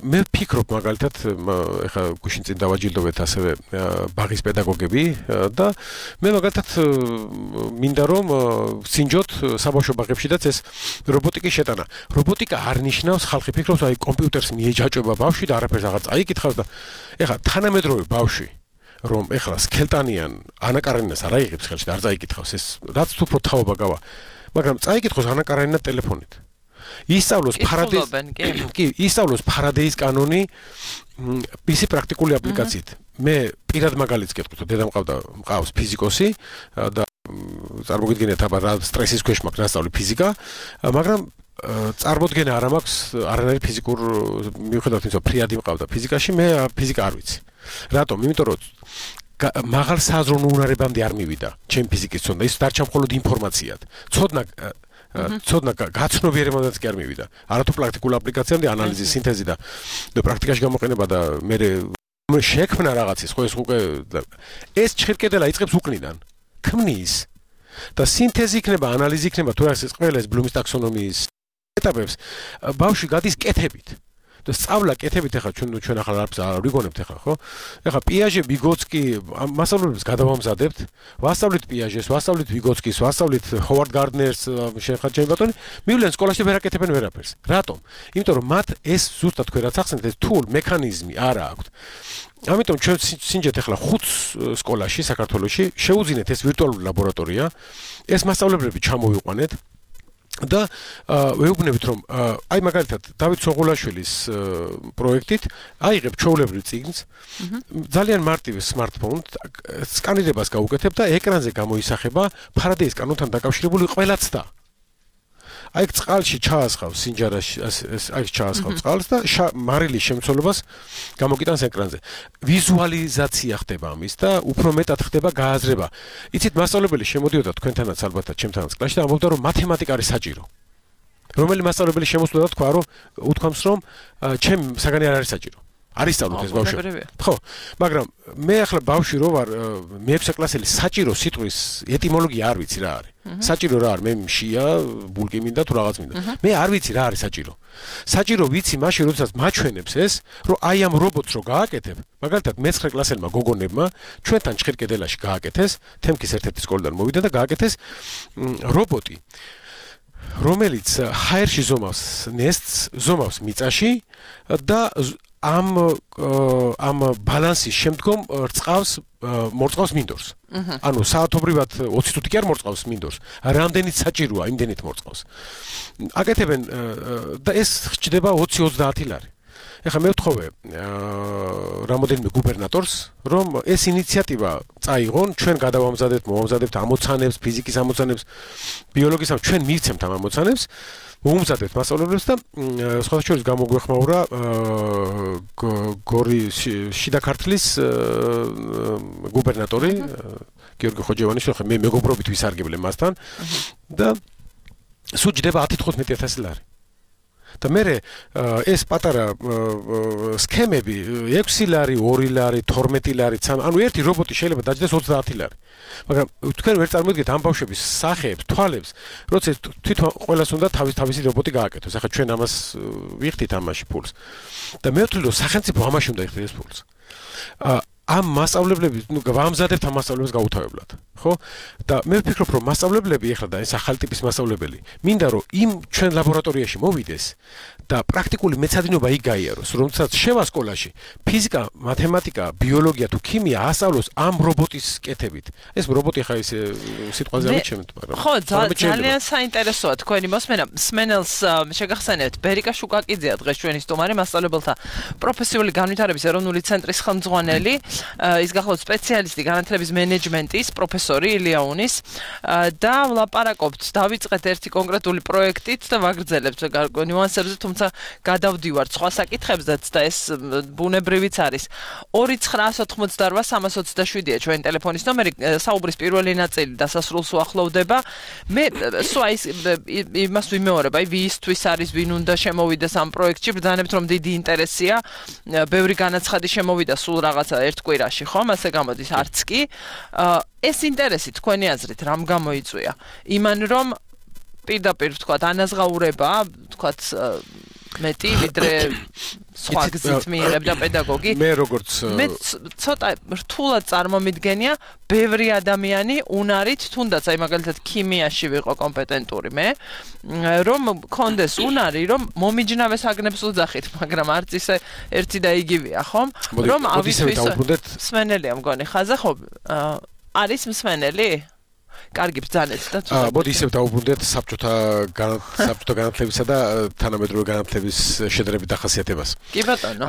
მე ვფიქრობ მაგალითად ეხა გუშინ წინ დავაჯილდოვეთ ასევე ბაღის პედაგოგები და მე მაგალითად მინდა რომ სინჯოთ საბავშვო ბაღებშიდაც ეს რობოტიკის შეტანა რობოტიკა არ ნიშნავს ხალხი ფიქრობს აი კომპიუტერს მიეჯაჭვება ბავშვი და არაფერს აღარ წაიკითხავს და ეხა თანამედროვე ბავშვი რომ ეხლა სქელტანიან ანაკარენას არ აიღებს ხელში და არ წაიკითხავს ეს რაც თუ უფრო თავობა გავა მაგრამ წაიკითხოს ანაკარენად ტელეფონით ისწავლოს ფარადეის კანონი ისი პრაქტიკული აპლიკაციით მე პირად მაგალითს გეტყვით დედა მყავს ფიზიკოსი და წარმოგიდგენთ აბა რა სტრესის ქვეშ მაქვს ნასწავლი ფიზიკა მაგრამ წარმოდგენა არ მაქვს არანაირი ფიზიკურ მიუხედავად იმისა ფრიადი მყავდა ფიზიკაში მე ფიზიკა არ ვიცი რატომ? იმიტომ რომ მაღალ საზრუნო უნარებამდე არ მივიდა ჩემი ფიზიკის ცოდნა ის დარჩა მხოლოდ ინფორმაციად ცოდნა გაცნობიერებამდეც კი არ მივიდა არათუ პრაქტიკულ აპლიკაციამდე ანალიზი სინთეზი და პრაქტიკაში გამოყენება და მე შექმნა რაღაცის ხო ეს ჭხირკედელა იწყებს უკნიდან ქმნის და სინთეზი იქნება ანალიზი იქნება თუ რა ეს ყველა ეს ბლუმის ტაქსონომიის ეტაპებს ბავშვი გადის კეთებით და სწავლა კეთებით ახლა ჩვენ ახლა არ ვიგონებთ ახლა ხო ახლა პიაჟე ვიგოცკი მასწავლებლებს გადავამზადებთ ვასწავლით პიაჟეს ვასწავლით ვიგოცკის ვასწავლით ჰოვარდ გარდნერს შეხა ჩემი ბატონი მივლენ სკოლაში ვერ აკეთებენ ვერაფერს რატომ იმიტომ რომ მათ ეს ზუსტად თქვენ რაც ახსენეთ ეს თულ მექანიზმი არ აქვს ამიტომ ჩვენ სინჯეთ ახლა 5 სკოლაში საქართველოში შეუძინეთ ეს ვირტუალური ლაბორატორია ეს მასწავლებლები ჩამოვიყვანეთ და ვეუბნებით რომ აი მაგალითად დავით სონღოლაშვილის პროექტით აიღებ ჩვეულებრივ წიგნს ძალიან მარტივი smartphone სკანირებას გაუკეთებ და ეკრანზე გამოისახება ფარადეის კანონთან დაკავშირებული ყველა ცდა აი წყალში ჩაასხავს სინჯარაში აი ჩაასხავს წყალს და მარილის შემცველობას გამოგიტანს ეკრანზე. ვიზუალიზაცია ხდება ამის და უფრო მეტად ხდება გააზრება. იცით მასწავლებელი შემოდიოდა თქვენთანაც ალბათ ჩემთანაც კლასში და ამბობდა რომ მათემატიკა არის საჭირო. რომელი მასწავლებელი შემოსულა და თქვა რომ უთქვამს რომ ჩემ საგანი არ არის საჭირო. არის სწავლობთ ეს ბავშვი. ხო, მაგრამ მე ახლა ბავშვი რო ვარ მე-6 კლასელი საჭირო სიტყვის ეტიმოლოგია არ ვიცი რა არის. საჭირო რა არის? მე მშია, ბულკი მინდა თუ რაღაც მინდა. მე არ ვიცი რა არის საჭირო. საჭირო ვიცი მაშინ როდესაც მაჩვენებს ეს, რომ აი ამ რობოტს რო გააკეთებ, მაგალითად მე-9 კლასელმა გოგონებმა ჩვენთან ჭხირკედელაში გააკეთეს, თემკის ერთ-ერთი სკოლიდან მოვიდა და გააკეთეს რობოტი, რომელიც ჰაერში ზომავს ნესტს, ზომავს მიწაში და ამ ბალანსის შემდგომ მორწყავს მინდორს. ანუ საათობრივად 20 თუთი კი არ მორწყავს მინდორს. რამდენიც საჭიროა, იმდენით მორწყავს. აკეთებენ და ეს ხდება 20-30 ლარი. ეხლა მე ვთხოვე რამოდენიმე გუბერნატორს, რომ ეს ინიციატივა წაიღონ, ჩვენ მოვამზადებთ ამოცანებს, ფიზიკის ამოცანებს, ბიოლოგიის ჩვენ მივცემთ ამ ამოცანებს. მომზადებთ მასწავლებლებს და სხვათა შორის გამოგვეხმაურა გორის შიდა ქართლის გუბერნატორი გიორგი ხოჯევანიშვილი, მე მეგობრობით ვისარგებლე მასთან და სუჯდება 10-15 ლარი. და მე ეს პატარა სქემები 6 ლარი, 2 ლარი, 12 ლარი, ანუ ერთი რობოტი შეიძლება დაჯდეს 30 ლარი. მაგრამ თქვენ ვერ წარმოიდგენთ ამ ბავშვების სახეებს, თვალებს, როცა თვითონ ყველას უნდა თავისი რობოტი გააკეთოს. ახლა ჩვენ ამას ვიხდით ამაში ფულს. და მე ვთვლი რომ სახელმწიფო ამაში უნდა იხდეს ფულს. ამ მასწავლებლები, ვამზადებთ ამ მასწავლებლებს გაუთავებლად, ხო? და მე ვფიქრობ, რომ მასწავლებლები ეხლა და ეს ახალი ტიპის მასწავლებელი, მინდა რომ იმ ჩვენ ლაბორატორიაში მოვიდეს და პრაქტიკული მეცადინეობა იქ გაიაროს, რომელსაც შევა სკოლაში ფიზიკა, მათემატიკა, ბიოლოგია თუ ქიმია ასწავლოს ამ რობოტის კეთებით. ეს რობოტი ხა ის სიტყვაზე ამიჩემთ, მაგრამ ხო, ძალიან საინტერესოა თქვენი მოსმენა. სმენელს შეგახსენებთ, ბერიკა შუკაკიძეა დღეს ჩვენი სტუმარი, მასწავლებელთა პროფესიული განვითარების ეროვნული ცენტრის ხელმძღვანელი. ის გახლავთ სპეციალისტი განათლების მენეჯმენტის პროფესორი ილიაუნის და ვლაპარაკობთ, დავიწყეთ ერთი კონკრეტული პროექტით და ვაგრძელებთ ნიუანსებზე, თუმცა გადავდივართ სხვა საკითხებზეც და ეს ბუნებრივიც არის. 2988327-ია ჩვენი ტელეფონის ნომერი, საუბრის პირველი ნაწილი დასასრულს უახლოვდება. მე სვა იმას ვიმეორებ, აი ვისთვის არის, ვინ უნდა შემოვიდეს ამ პროექტში, ბრძანებთ რომ დიდი ინტერესია, ბევრი განაცხადი შემოვიდა სულ რაღაცა ერთ კვირაში, ხომ? ასე გამოდის, არც კი. ეს ინტერესი თქვენი აზრით რამ გამოიწვია? იმან რომ პირდაპირ ვთქვათ, ანაზღაურება, ვთქვათ, მეტი ვიდრე სხვა გზით მიიღებდა პედაგოგი. მე როგორც მე ცოტა რთულად წარმომიდგენია ბევრი ადამიანი უნარით, თუნდაც აი მაგალითად ქიმიაში ვიყო კომპეტენტური მე, რომ კონდეს უნარი, რომ მომიჯნავეს აგნებს უძახით, მაგრამ არც ისე ერთი და იგივეა, ხომ? რომ ავისთვის მსმენელია მგონი ხაზა, ხო? არის მსმენელი? კარგი ბრძანეთ და თუნდაც. მოდი ისევ დაუბრუნდეთ საბჭოთა განათლებისა და თანამედროვე განათლების შედარებით დახასიათებას. კი ბატონო.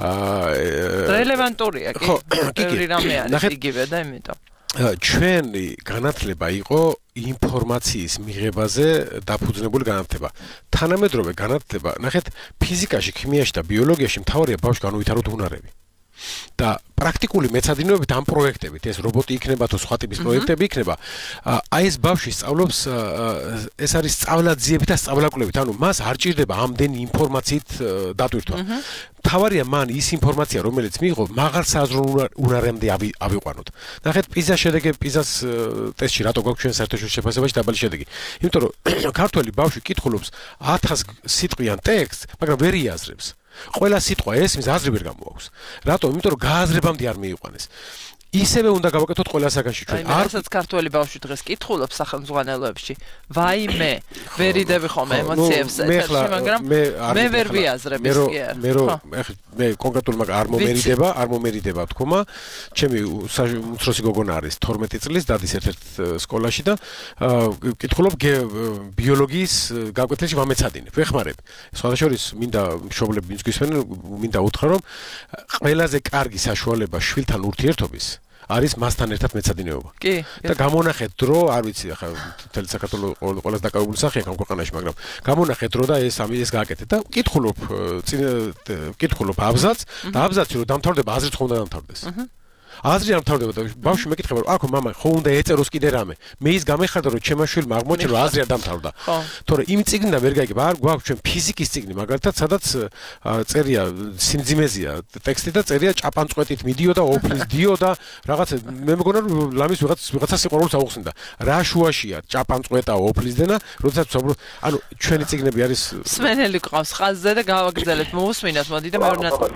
რელევანტურია კი. ბევრი რამე არის იგივე და იმიტომ. ჩვენი განათლება იყო ინფორმაციის მიღებაზე დაფუძნებული განათლება. თანამედროვე განათლება, ნახეთ, ფიზიკაში, ქიმიაში და ბიოლოგიაში მთავარია ბავშვს განუვითაროთ უნარები. და პრაქტიკული მეცადინეობით ამ პროექტებით, ეს რობოტი იქნება თუ სხვა ტიპის პროექტები იქნება, აი ეს ბავშვი სწავლობს, ეს არის სწავლაძიებით და სწავლაკვლევით, ანუ მას არ ჭირდება ამდენი ინფორმაციით დატვირთვა. მთავარია მან ის ინფორმაცია, რომელიც მიიღო, მაღალ საზრუნ უნარამდე ავიყვანოთ. ნახეთ, პიზას შედეგი, პიზას ტესტში რატო გვაქვს ჩვენ საერთაშორისო შეფასებაში დაბალი შედეგი? იმიტომ რომ ქართველი ბავშვი კითხულობს 1000 სიტყვიან ტექსტს, მაგრამ ვერ იაზრებს. ყველა სიტყვა ესმის აზრი ვერ გამოაქვს. რატომ? იმიტომ რომ გააზრებამდე არ მიიყვანეს. ისევე უნდა გავაკეთოთ ყველა საგანში ჩვენ. რასაც ქართველი ბავშვი დღეს კითხულობს სახელმძღვანელოებში. ვაიმე, ვერ იდები ხომ ემოციებს ეთერში, მაგრამ მე ვერ ვიაზრებ ის კი არ. მე კონკრეტულად არ მომერიდება თქმა. ჩემი უმცროსი გოგონა არის 12 წლის, დადის ერთ-ერთ სკოლაში და კითხულობ ბიოლოგიის გაკვეთილში ვამეცადინებ. ვეხმარებ. სხვადასხვა მინდა მშობლები ვინც გვისმენენ, მინდა უთხრა რომ ყველაზე კარგი საშუალება შვილთან ურთიერთობის არის მასთან ერთად მეცადინეობა. კი. და გამონახეთ დრო, არ ვიცი, ახლა მთელი საქართველოს ყველას დაკავებული სახეა ამ ქვეყანაში, მაგრამ გამონახეთ დრო და ეს გააკეთეთ და ვკითხულობ აბზაცს და აბზაცი რომ დამთავრდება, აზრით ხომ უნდა დამთავრდეს. აზრი არ მთავრდება და ბავშვი მეკითხება რომ აქ მამა ხო უნდა ეწეროს კიდე რამე მე ის გამეხარდა რომ ჩემმა შვილმა აღმოჩნდა რომ აზრი არ დამთავრდა თორე იმ წიგნიდან ვერ გაიგებ არ გვაქვს ჩვენ ფიზიკის წიგნი მაგალითად სადაც წერია სიმძიმეზია ტექსტი და წერია ჭაპანწყვეტით მიდიოდა ოფლის დიოდა რაღაც მე მგონა რომ ლამის ვიღაცა სიყვარულს აუხსნდა რა შუაშია ჭაპანწყვეტა ოფლისდენა როდესაც ვსაუბრობ ანუ ჩვენი წიგნები არის სვენელი ყავს ხაზზე და გავაგრძელებთ მოусმინოთ მოდი და მეორე ნაწილი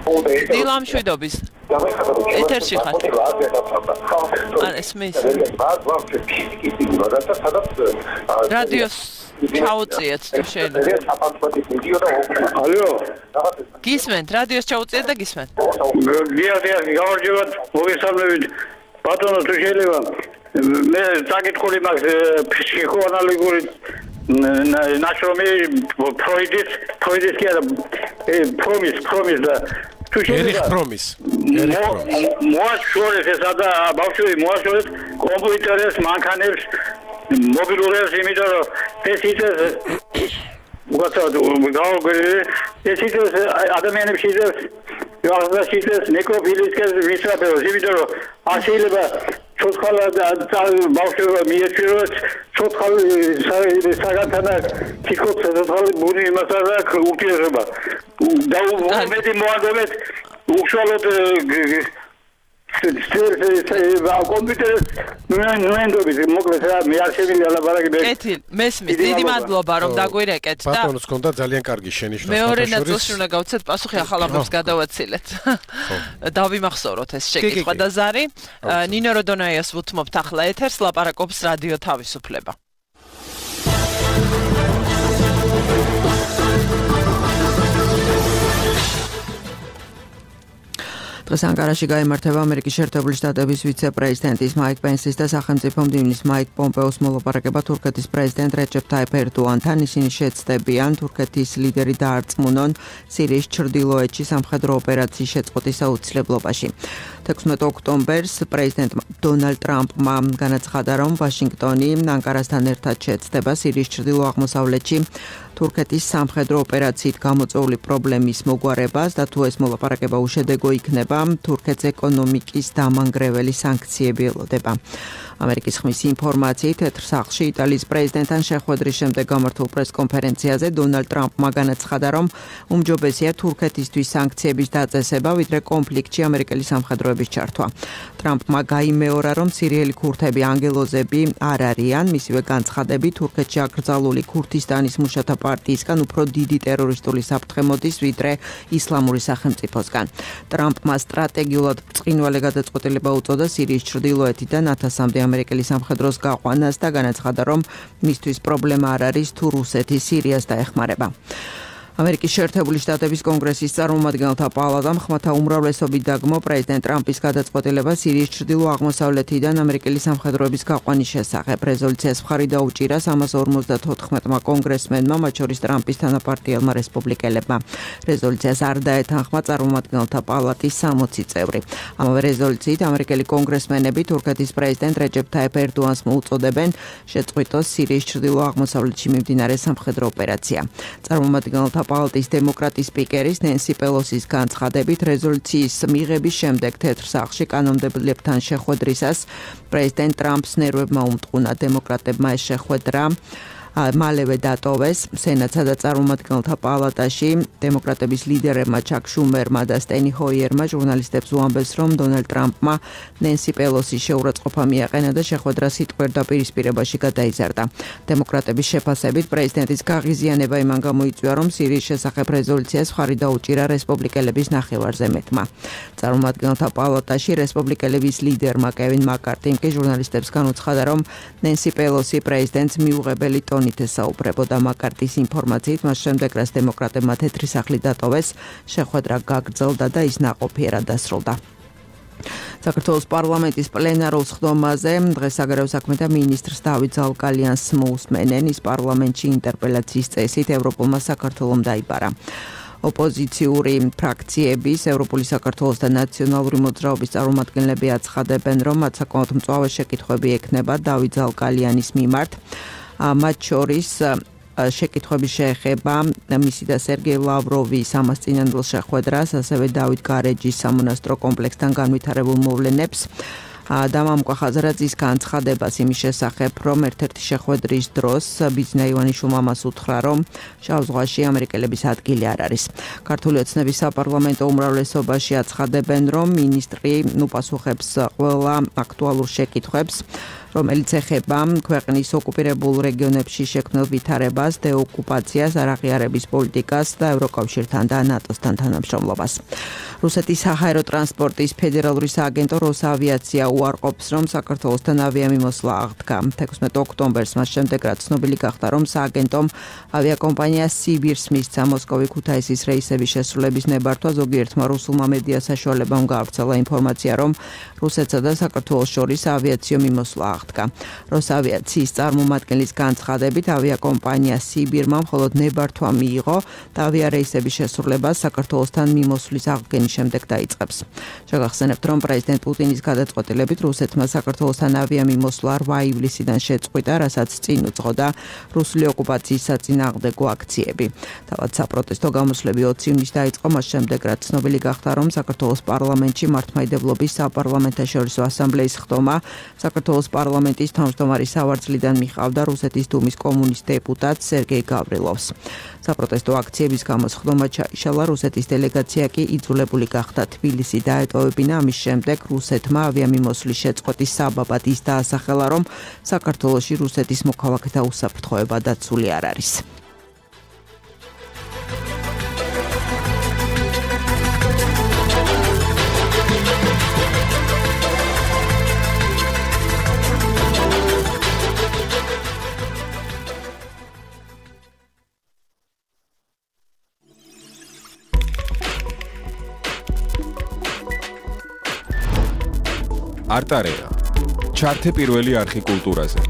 დილა მშვიდობის ეთერში ხარ ან ესმის რადიოს ჩაუწიეთ თუ შეიძლება ალო გისმენთ რადიოს ჩაუწიეთ და გისმენთ გავარჯევათ მოგესალმებით ბატონო თუ შეიძლება მე საკითხული მაქვს ფსიქოანალიტიკური ნაშრომი ფროიდის კი არა პრომის და ერიხ პრომის მოაშორეს ესა და ბავშვი მოაშორეს კომპიუტერებს მანქანებს მობილურებს იმიტომ რომ ეს ის ადამიანებში ის ნეკროფილისკენ ვისწრაფებს იმიტომ რომ შეიძლება ცოცხალა და ბავშვი მიეჩვიროს ცოცხალი საგანთანა თითქოს ცოცხალი ბუნი იმასაა და ურთიერთობა და უმეტი მოანდომეთ უშუალოდ კომპიუტერს ნუენდობის მოკლედ რა მე არ შემიძლია ლაპარაკი კეთილ მესმის დიდი მადლობა რომ დაგვირეკეთ და ბატონოს კონდა ძალიან კარგი შენიშვნა მეორე ნაწილში უნდა გავცეთ პასუხი ახალ ამბებს გადავაცილეთ დავიმახსოვროთ ეს შეკითხვა და ზარი ნინო როდონაიას ვუთმობთ ახლა ეთერს ლაპარაკობს რადიო თავისუფლება დღეს ანკარაში გაიმართება ამერიკის შეერთებული შტატების ვიცე-პრეზიდენტის მაიკ პენსის და სახელმწიფო მდივნის მაიკ პომპეოს მოლაპარაკება თურქეთის პრეზიდენტ რეჯეფ თაიფ ერდოანთან. ისინი შეცდებიან თურქეთის ლიდერი დაარწმუნონ სირიის ჩრდილოეთში სამხედრო ოპერაციის შეწყვეტის აუცილებლობაში. 16 ოქტომბერს პრეზიდენტ დონალდ ტრამპმა განაცხადა, რომ ვაშინგტონი ანკარასთან ერთად შეცდება სირიის ჩრდილო-აღმოსავლეთში თურქეთის სამხედრო ოპერაციით გამოწვეული პრობლემის მოგვარებას და თუ ეს მოლაპარაკება უშედეგო იქნება, თურქეთის ეკონომიკის დამანგრეველი სანქციები ელოდება. ამერიკის ხმის ინფორმაციით თეთრ სახლში იტალიის პრეზიდენტთან შეხვედრის შემდეგ გამართულ პრესკონფერენციაზე დონალდ ტრამპმა განაცხადა, რომ უმჯობესია თურქეთისთვის სანქციების დაწესება, ვიდრე კონფლიქტში ამერიკელი სამხედროების ჩართვა. ტრამპმა გაიმეორა, რომ სირიელი ქურთები ანგელოზები არ არიან, მისივე განცხადებით თურქეთში აკრძალული ქურთისტანის მუშათა პარტიისგან უფრო დიდი ტერორისტული საფრთხე მოდის, ვიდრე ისლამური სახელმწიფოსგან. ტრამპმა სტრატეგიულად ბრწყინვალე გადაწყვეტილება უწოდა სირიის ჩრდილოეთიდან 1000-მდე ამერიკელი სამხედროს გაყვანას და განაცხადა, რომ მისთვის პრობლემა არ არის თუ რუსეთი სირიას დაეხმარება. ამერიკის შეერთებული შტატების კონგრესის წარმომადგენელთა პალატამ ხმათა უმრავლესობით დაგმო პრეზიდენტ ტრამპის გადაწყვეტილება სირიის ჩრდილო-აღმოსავლეთიდან ამერიკელი სამხედროების გაყვანის შესახებ. რეზოლუციას მხარი დაუჭირა 354-მა კონგრესმენმა, მათ შორის ტრამპის თანაპარტიელმა რესპუბლიკელებმა. რეზოლუციას არ დაეთანხმა წარმომადგენელთა პალატის 60 წევრი. ამავე რეზოლუციით ამერიკელი კონგრესმენები თურქეთის პრეზიდენტ რეჯეფ თაიფ ერდოანს მოუწოდებენ შეწყვიტოს სირიის ჩრდილო-აღმოსავლეთში მიმდინარე სამხედრო ოპერაცია. წარმომადგენელთა პალატის დემოკრატის სპიკერის ნენსი პელოსის განცხადებით რეზოლუციის მიღების შემდეგ თეთრ სახლში კანონმდებლებთან შეხვედრისას პრეზიდენტ ტრამპს ნერვებმა უმტყუნა. დემოკრატებმა ეს შეხვედრა მალევე დატოვეს. სენატსა და წარმომადგენელთა პალატაში დემოკრატების ლიდერებმა ჩაკ შუმერმა და სტენი ჰოიერმა ჟურნალისტებს უამბეს, რომ დონალდ ტრამპმა ნენსი პელოსის შეურაცხყოფა მიაყენა და შეხვედრა სიტყვიერ დაპირისპირებაში გადაიზარდა. დემოკრატების შეფასებით პრეზიდენტის გაღიზიანება იმან გამოიწვია, რომ სირიის შესახებ რეზოლუციას მხარი დაუჭირა რესპუბლიკელების ნახევარზე მეტმა. წარმომადგენელთა პალატაში რესპუბლიკელების ლიდერმა კევინ მაკარტიმ კი ჟურნალისტებს განუცხადა, რომ ნენსი პელოსი პრეზიდენტს მიუღებელი ტონით ესაუბრებოდა. მაკარტის ინფორმაციით მას შემდეგ, რაც დემოკრატებმა თეთრი სახლი დატოვეს, შეხვედრა გაგრძელდა და ის ნაყოფიერად დასრულდა. საქართველოს პარლამენტის პლენარულ სხდომაზე დღეს საგარეო საქმეთა მინისტრს დავით ზალკალიანს მოუსმენენ. ის პარლამენტში ინტერპელაციის წესით ევროპულმა საქართველომ დაიბარა. ოპოზიციური ფრაქციების ევროპული საქართველოს და ნაციონალური მოძრაობის წარმომადგენლები აცხადებენ, რომ მათ საკმაოდ მწვავე შეკითხვები ექნება დავით ზალკალიანის მიმართ. მათ შორის შეკითხვები შეეხება მისი და სერგეი ლავროვის სამასწინებლო შეხვედრას, ასევე დავით გარეჯის სამონასტრო კომპლექსთან განვითარებულ მოვლენებს. დამამკვა ხაზარაძის განცხადებას იმის შესახებ, რომ ერთ-ერთი შეხვედრის დროს ბიძინა ივანიშვილმა მას უთხრა, რომ შავ ზღვაში ამერიკელების ადგილი არ არის. ქართული ოცნების საპარლამენტო უმრავლესობაში აცხადებენ, რომ მინისტრი უპასუხებს ყველა აქტუალურ შეკითხვებს, რომელიც ეხება ქვეყნის ოკუპირებულ რეგიონებში შექმნილ ვითარებას, დეოკუპაციას, არაღიარების პოლიტიკას და ევროკავშირთან და ნატოსთან თანამშრომლობას. რუსეთის საჰაერო ტრანსპორტის ფედერალური სააგენტო როსავიაცია უარყოფს, რომ საქართველოსთან ავიამიმოსვლა აღდგა. 16 ოქტომბერს მას შემდეგ, რაც ცნობილი გახდა, რომ სააგენტომ ავიაკომპანია სიბირს მისცა მოსკოვი-ქუთაისის რეისების შესრულების ნებართვა, ზოგიერთმა რუსულმა მედია საშუალებამ გაავრცელა ინფორმაცია, რომ რუსეთსა და საქართველოს შორის ავიაციო მიმოსვლა აღდგა. როსავიაციის წარმომადგენლის განცხადებით, ავიაკომპანია სიბირმა მხოლოდ ნებართვა მიიღო და ავიარეისების შესრულებას საქართველოსთან მიმოსვლის აღდგენის შემდეგ დაიწყებს. შეგახსენებთ, რომ პრეზიდენტ პუტინის გადაწყვეტილებით რუსეთმა საქართველოსთან ავიამიმოსვლა 8 ივლისიდან შეწყვიტა, რასაც წინ უძღოდა რუსული ოკუპაციის საწინააღმდეგო აქციები. თავად საპროტესტო გამოსვლები 20 ივნისს დაიწყო, მას შემდეგ, რაც ცნობილი გახდა, რომ საქართველოს პარლამენტში მართლმადიდებლობის საპარლამენტაშორისო ასამბლეის ხდომა საქართველოს პარლამენტის თავმჯდომარის სავარძლიდან მიყავდა რუსეთის დუმის კომუნისტ დეპუტატ სერგეი გავრილოვს. საპროტესტო აქციების გამოს ხდომა ჩაიშალა, რუსეთის დელეგაცია კი იძულებული გახდა თბილისი დაეტოვებინა. ამის შემდეგ რუსეთმა ავიამიმოსვლის შეწყვეტის საბაბად ის დაასახელა, რომ საქართველოში რუსეთის მოქალაქეთა უსაფრთხოება დაცული არ არის. არტარეა. ჩართე პირველი არხი კულტურაზე.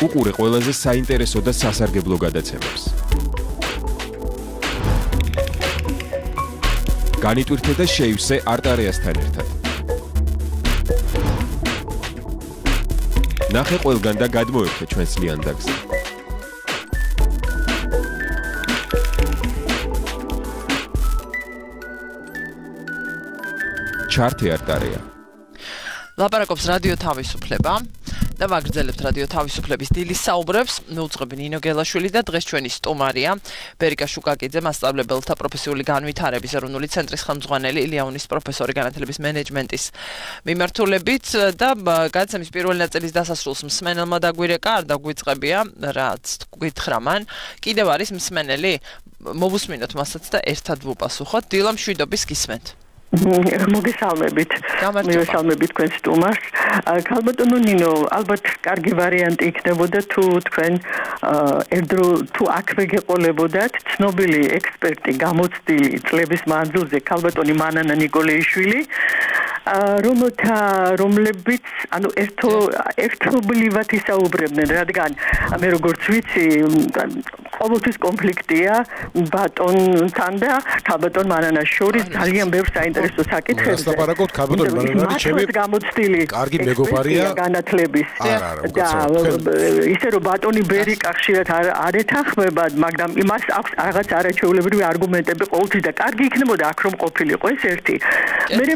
უყურე ყველაზე საინტერესო და სასარგებლო გადაცემებს. განიტვირთე და შეივსე არტარეასთან ერთად. ნახე ყველგან და გადმოერთე ჩვენს ლიანდაგზე. ჩართე არტარეა. ლაპარაკობს რადიო თავისუფლება და ვაგრძელებთ რადიო თავისუფლების დილის საუბრებს. მეუწყები ნინო გელაშვილი და დღეს ჩვენი სტუმარია ბერიკა შუკაკიძე, მასწავლებელთა პროფესიული განვითარების ეროვნული ცენტრის ხელმძღვანელი, ილია-უნის პროფესორი განათლების მენეჯმენტის მიმართულებით და გადაცემის პირველი ნაწილის დასასრულს მსმენელმა დაგვირეკა, არ დაგვიწყებია, რაც გითხრა მან. კიდევ არის მსმენელი? მოვუსმინოთ მასაც და ერთად ვუპასუხოთ. დილა მშვიდობის გისმენთ. მოგესალმებით. მოგესალმებით თქვენ სტუმარს. ქალბატონო ნინო, ალბათ კარგი ვარიანტი იქნებოდა თუ თქვენ ერთდრო თუ აქვე გეყოლებოდათ ცნობილი ექსპერტი გამოცდილი წლების მანძილზე ქალბატონი მანანა ნიკოლეიშვილი, რომლებიც ანუ ერთობლივად ისაუბრებდნენ, რადგან მე როგორც ვიცი, ყოველთვის კონფლიქტია ბატონთან და ქალბატონ მანანას შორის ძალიან ბევრ საინტერესო საკითხებზე. ლაპარაკობთ ქალბატონ მანანანი ჩემი გამოცდილი კარგი მეგობარია განათლების და ისე რომ ბატონი ბერიკა ხშირად არ ეთანხმება, მაგრამ იმას აქვს რაღაც არაჩვეულებრივი არგუმენტები ყოველთვის და კარგი იქნებოდა აქ რომ ყოფილიყო ეს ერთი.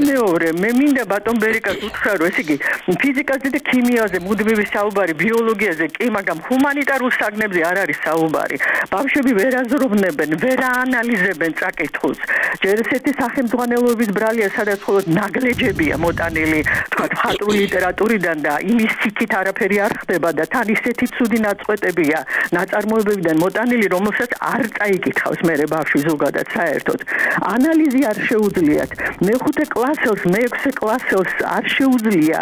მეორე, მე მინდა ბატონ ბერიკას უთხრა, რომ ესე იგი ფიზიკაზე და ქიმიაზე მუდმივი საუბარი, ბიოლოგიაზე კი, მაგრამ ჰუმანიტარულ საგნებზე არ არის საუბარი. ბავშვები ვერ აზროვნებენ, ვერ აანალიზებენ წაკითხულს. ჯერ ესეთი სახელმძღვანელოების ბრალია, სადაც მხოლოდ ნაგლეჯებია მოტანილი, თქვა მხატვრული ლიტერატურიდან და იმის სიქით არაფერი არ ხდება და თან ისეთი ცუდი ნაწყვეტებია ნაწარმოებებიდან მოტანილი, რომელსაც არ წაიკითხავს მერე ბავშვი ზოგადად საერთოდ. ანალიზი არ შეუძლიათ. მეხუთე კლასელს, მეექვსე კლასელს არ შეუძლია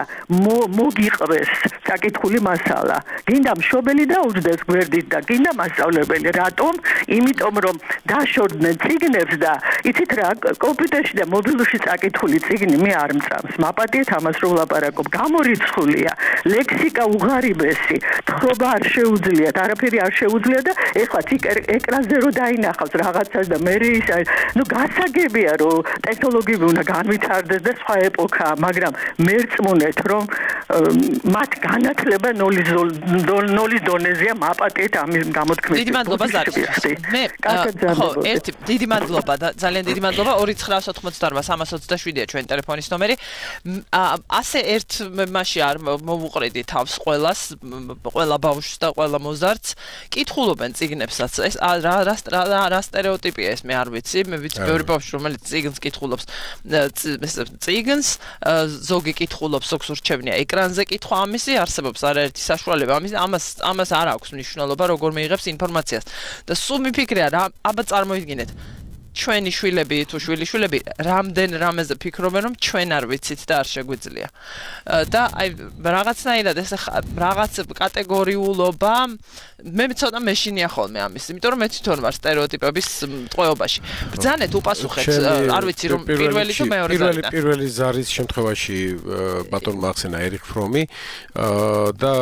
მოგიყვეს საკითხული მასალა. გინდა მშობელი დაუჯდეს გვერდით და გინდა მასწავლებელი რატომ? იმიტომ რომ დაშორდნენ წიგნებს და იცით რა, კომპიუტერში და მობილურში წაკითხული წიგნი მე არ მწამს. მაპატიეთ ამას რომ ვლაპარაკობ. გამორიცხულია, ლექსიკა უღარიბესი, თხრობა არ შეუძლიათ, არაფერი არ შეუძლია და ეხლა ეკრანზე რო დაინახავს რაღაცას და მე ის გასაგებია რომ ტექნოლოგიები უნდა განვითარდეს და სხვა ეპოქაა, მაგრამ მერწმუნეთ რომ მათ განათლება ნოლის დონეზეა, მაპატიეთ ამის გამოთქმის. დიდი მადლობა ზარიშ. მე ხო, დიდი მადლობა და ძალიან დიდი მადლობა 2988327-ია ჩვენი ტელეფონის ნომერი. ასე ერთ მასში არ მოვუყრედი თავს ყველა ბავშვს და ყველა მოზარდს. კითხულობენ წიგნებსაც. ეს რა სტერეოტიპია ეს მე არ ვიცი. მე ვიცი ბევრი ბავშვი რომელიც წიგნს კითხულობს. წიგნს ზოგი კითხულობს, ზოგს ურჩევნია ეკრანზე კითხვა, ამისი არსებობს არაერთი საშუალება. ამას არ აქვს მნიშვნელობა როგორ მიიღებს ინფორმაციას. და სულ მიფიქრია რა, აბა წარმოიდგინეთ ჩვენი შვილები თუ შვილიშვილები რამდენ რამეზე ფიქრობენ რომ ჩვენ არ ვიცით და არ შეგვიძლია. და აი რაღაცნაირად ეს რაღაც კატეგორიულობა მე ცოტა მეშინია ხოლმე ამის, იმიტომ რომ მე თვითონ ვარ სტერეოტიპების ტყვეობაში. ბრძანეთ უპასუხეთ, არ ვიცი რომ პირველი თუ მეორე ზარი. პირველი ზარის შემთხვევაში ბატონმა ახსენა ერიხ ფრომი და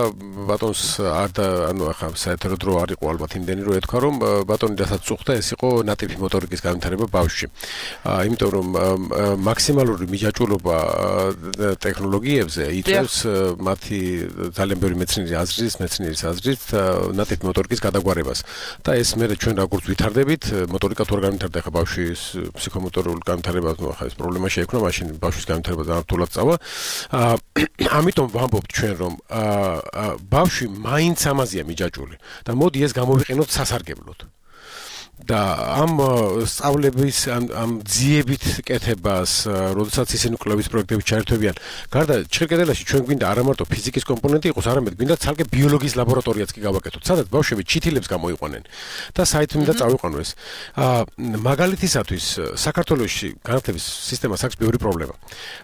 ბატონს ანუ ახლა საერთოდ დრო არ იყო ალბათ იმდენი რომ ეთქვა რომ ბატონი რასაც წუხდა ეს იყო ნატიფი მოტორიკის განვითარება ბავშვში. იმიტომ რომ მაქსიმალური მიჯაჭვულობა ტექნოლოგიებზე იწევს მათი ძალიან ბევრი მეცნიერის აზრით ნატიფი მოტორიკის გადაგვარებას. და ეს მე ჩვენ როგორც ვითარდებით, მოტორიკა თუ არ განვითარდა ხა ბავშვის ფსიქომოტორული განვითარება, ნუ ახლა ეს პრობლემა შეექმნა, მაშინ ბავშვის განვითარება ძალიან რთულად წავა. ამიტომ ვამბობთ ჩვენ რომ ბავშვი მაინც ამაზეა მიჯაჭვული და მოდი ეს გამოვიყენოთ სასარგებლოდ. და ამ სწავლების ამ ძიებით კეთებას, როდესაც ისინი კლუბის პროექტებში ჩაერთვებიან, გარდა ჩხერკედელაში ჩვენ გვინდა არა მარტო ფიზიკის კომპონენტი იყოს, არამედ გვინდა ცალკე ბიოლოგიის ლაბორატორიაც კი გავაკეთოთ, სადაც ბავშვები ჩითილებს გამოიყვანენ და საით მინდა წავიყვანო ეს. მაგალითისათვის საქართველოში განათლების სისტემას აქვს ბევრი პრობლემა.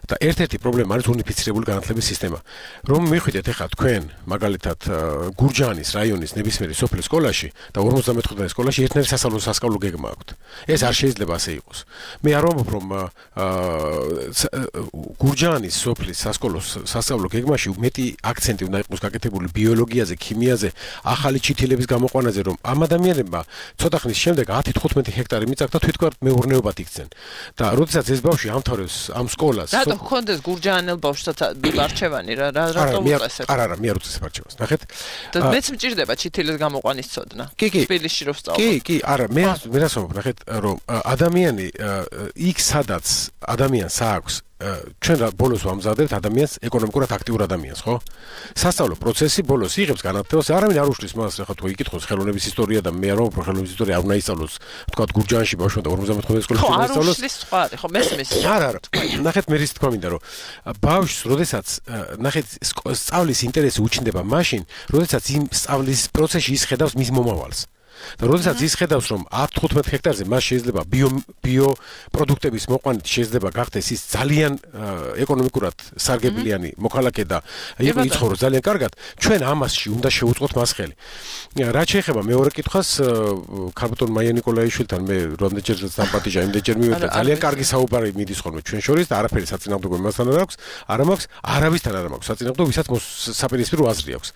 და ერთ-ერთი პრობლემა არის უნიფიცირებული განათლების სისტემა. რომ მიხვიდეთ ახლა თქვენ მაგალითად გურჯაანის რაიონის ნებისმიერი სოფლის სკოლაში და 55 სკოლაში ერთნაირი სასწავლო გეგმა აქვთ. ეს არ შეიძლება ასე იყოს. მე არ ვამბობ რომ გურჯაანის სოფლის სასწავლო გეგმაში მეტი აქცენტი უნდა იყოს გაკეთებული ბიოლოგიაზე, ქიმიაზე, ახალი ჩითილების გამოყვანაზე, რომ ამ ადამიანებმა ცოტა ხნის შემდეგ 10-15 ჰექტარი მიწაკ და თვითონ მეურნეობად იქცენ. და როდესაც ეს ბავშვი ამთავრებს ამ სკოლას, რატო გქონდეს გურჯაანელ ბავშვსაც არჩევანი რატო უწესებ? არა, მე არ უწესებ არჩევანს. ნახეთ? და მეც მჭირდება ჩითილის გამოყვანის ცოდნა. თბილისში რო ვსწავლობ. კი, არა, მე რას ვამბობ, ნახეთ, რომ ადამიანი იქ სადაც ადამიანს აქვს ჩვენ ბოლოს ვამზადებთ ადამიანს ეკონომიკურად აქტიურ ადამიანს, ხო? სასწავლო პროცესი ბოლოს იღებს განათლებას, არავინ არ უშლის მას, ახლა თუ იკითხოს ხელოვნების ისტორია და მე არ ვამბობ, ხელოვნების ისტორია არ უნდა ისწავლოს, თქვა გურჯაანში ბავშვმა და 55 სკოლაში უნდა ისწავლოს. ხო, არ უშლის სხვა, ხო, მესმის. არა, ნახეთ, მე რის თქვა მინდა, რომ ბავშვს, როდესაც ნახეთ, სწავლის ინტერესი უჩნდება მაშინ, როდესაც იმ სწავლის პროცესში ის ხედავს მის მომავალს. და როდესაც ის ხედავს რომ 10-15 ჰექტარზე მას შეიძლება ბიო პროდუქტების მოყვანით შეიძლება გახდეს ის ძალიან ეკონომიკურად სარგებლიანი მოქალაქე და იცხოვროს ძალიან კარგად, ჩვენ ამასში უნდა შევუწყოთ მას ხელი. რაც შეეხება მეორე კითხვას, ქალბატონ მაია ნიკოლაიშვილთან მე რამდენჯერ დამპატიჟა, იმდენჯერ მივედა, ძალიან კარგი საუბარი მიდის ხოლმე ჩვენ შორის და არაფერი საწინააღმდეგო მასთან არ აქვს, არავისთან არ აქვს საწინააღმდეგო, ვისაც საპირისპირო აზრი აქვს.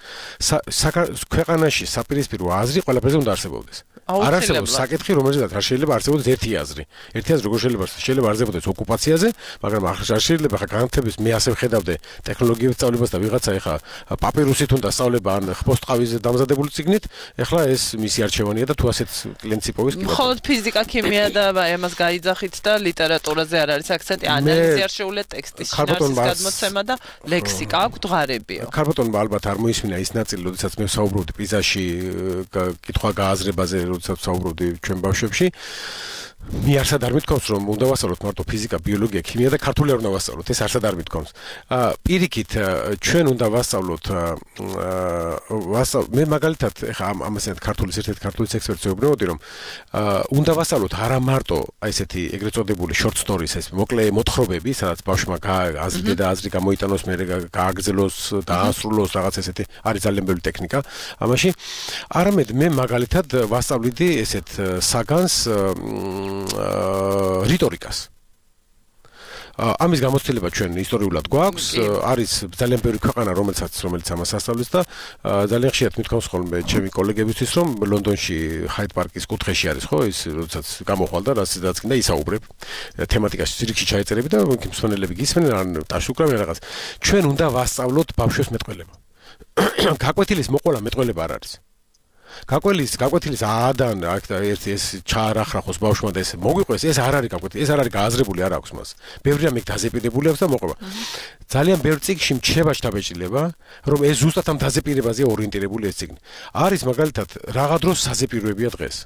ქვეყანაში საპირისპირო აზრი ყველაფერზე უნდა არსებობდეს. არ არსებობს საკითხი, რომელზეც არ შეიძლება არსებობდეს ერთი აზრი. ერთი აზრი როგორ შეიძლება არსებობდეს ოკუპაციაზე, მაგრამ არ შეიძლება ხა განათლების მე ასე ვხედავდე ტექნოლოგიების სწავლებას და ვიღაცა ეხა პაპირუსით უნდა სწავლება ან ხბოსტყავის დამზადებული წიგნით, ეხლა ეს მისი არჩევანია და თუ ასეთ კლინცი პოვის კი. მხოლოდ ფიზიკა, ქიმია და ამას გაიძახით და ლიტერატურაზე არ არის აქცენტი, ანალიზი არ შეუძლია ტექსტის შინაარსის გადმოცემა და ლექსიკა აქვს დღარებიო. ქალბატონმა ალბათ არ მოისმინა ის ნაწილი, როდესაც მე ვსაუბრობდი პიზაში კითხვა გააზრებაზე, როდესაც ვსაუბრობდი ჩვენ ბავშვებში. მე არსად არ მithქვამს რომ უნდა ვასწავლოთ მარტო ფიზიკა, ბიოლოგია, ქიმია და ქართული არ უნდა ვასწავლოთ. ეს არსად არ მithქვამს. პირიქით ჩვენ უნდა ვასწავლოთ მე მაგალითად ეხა ამასეთ ქართულის ერთ-ერთი ქართულის ექსპერტი ვეუბნებოდი რომ უნდა ვასწავლოთ არა მარტო აი ესეთი ეგრეთ წოდებული short stories ეს მოკლე მოთხრობები, სადაც ბავშვმა აზრი და აზრი გამოიტანოს, მე გააგრძელოს, დაასრულოს რაღაც ესეთი არის ძალიან ბევრი ტექნიკა ამაში. არამედ მე მაგალითად ვასწავლიდი ესეთ საგანს რიტორიკას. ამის გამოცდილება ჩვენ ისტორიულად გვაქვს, არის ძალიან ბევრი ქვეყანა, რომელიც ამას ასწავლის და ძალიან ხშირად მithქვამს ხოლმე ჩემი კოლეგებისთვის, რომ ლონდონში ჰაიდ პარკის კუთხეში არის, ხო, ის როდესაც გამოხვალ და რასაც კიდე ისაუბრებ, თემატიკაში ზირიქში ჩაეწერები და მსმენელები გისმენენ, ან ტაში უკრავენ რაღაც. ჩვენ უნდა ვასწავლოთ ბავშვებს მეტყველება. გაკვეთილის მოყოლა მეტყველება არ არის. გაკვეთილის ადან ერთი ეს ჩაარახრახოს ბავშვმა და ეს მოგვიყვეს, ეს არ არის გაკვეთილი, ეს არ არის გააზრებული, არ აქვს მას. ბევრი რამე დაზეპირებული აქვს და მოყვება. ძალიან ბევრ წიგნში მჩნევა შთაბეჭდილება, რომ ეს ზუსტად ამ დაზეპირებაზე ორიენტირებული ეს წიგნი. არის მაგალითად რაღა დროს საზეპიროებია დღეს.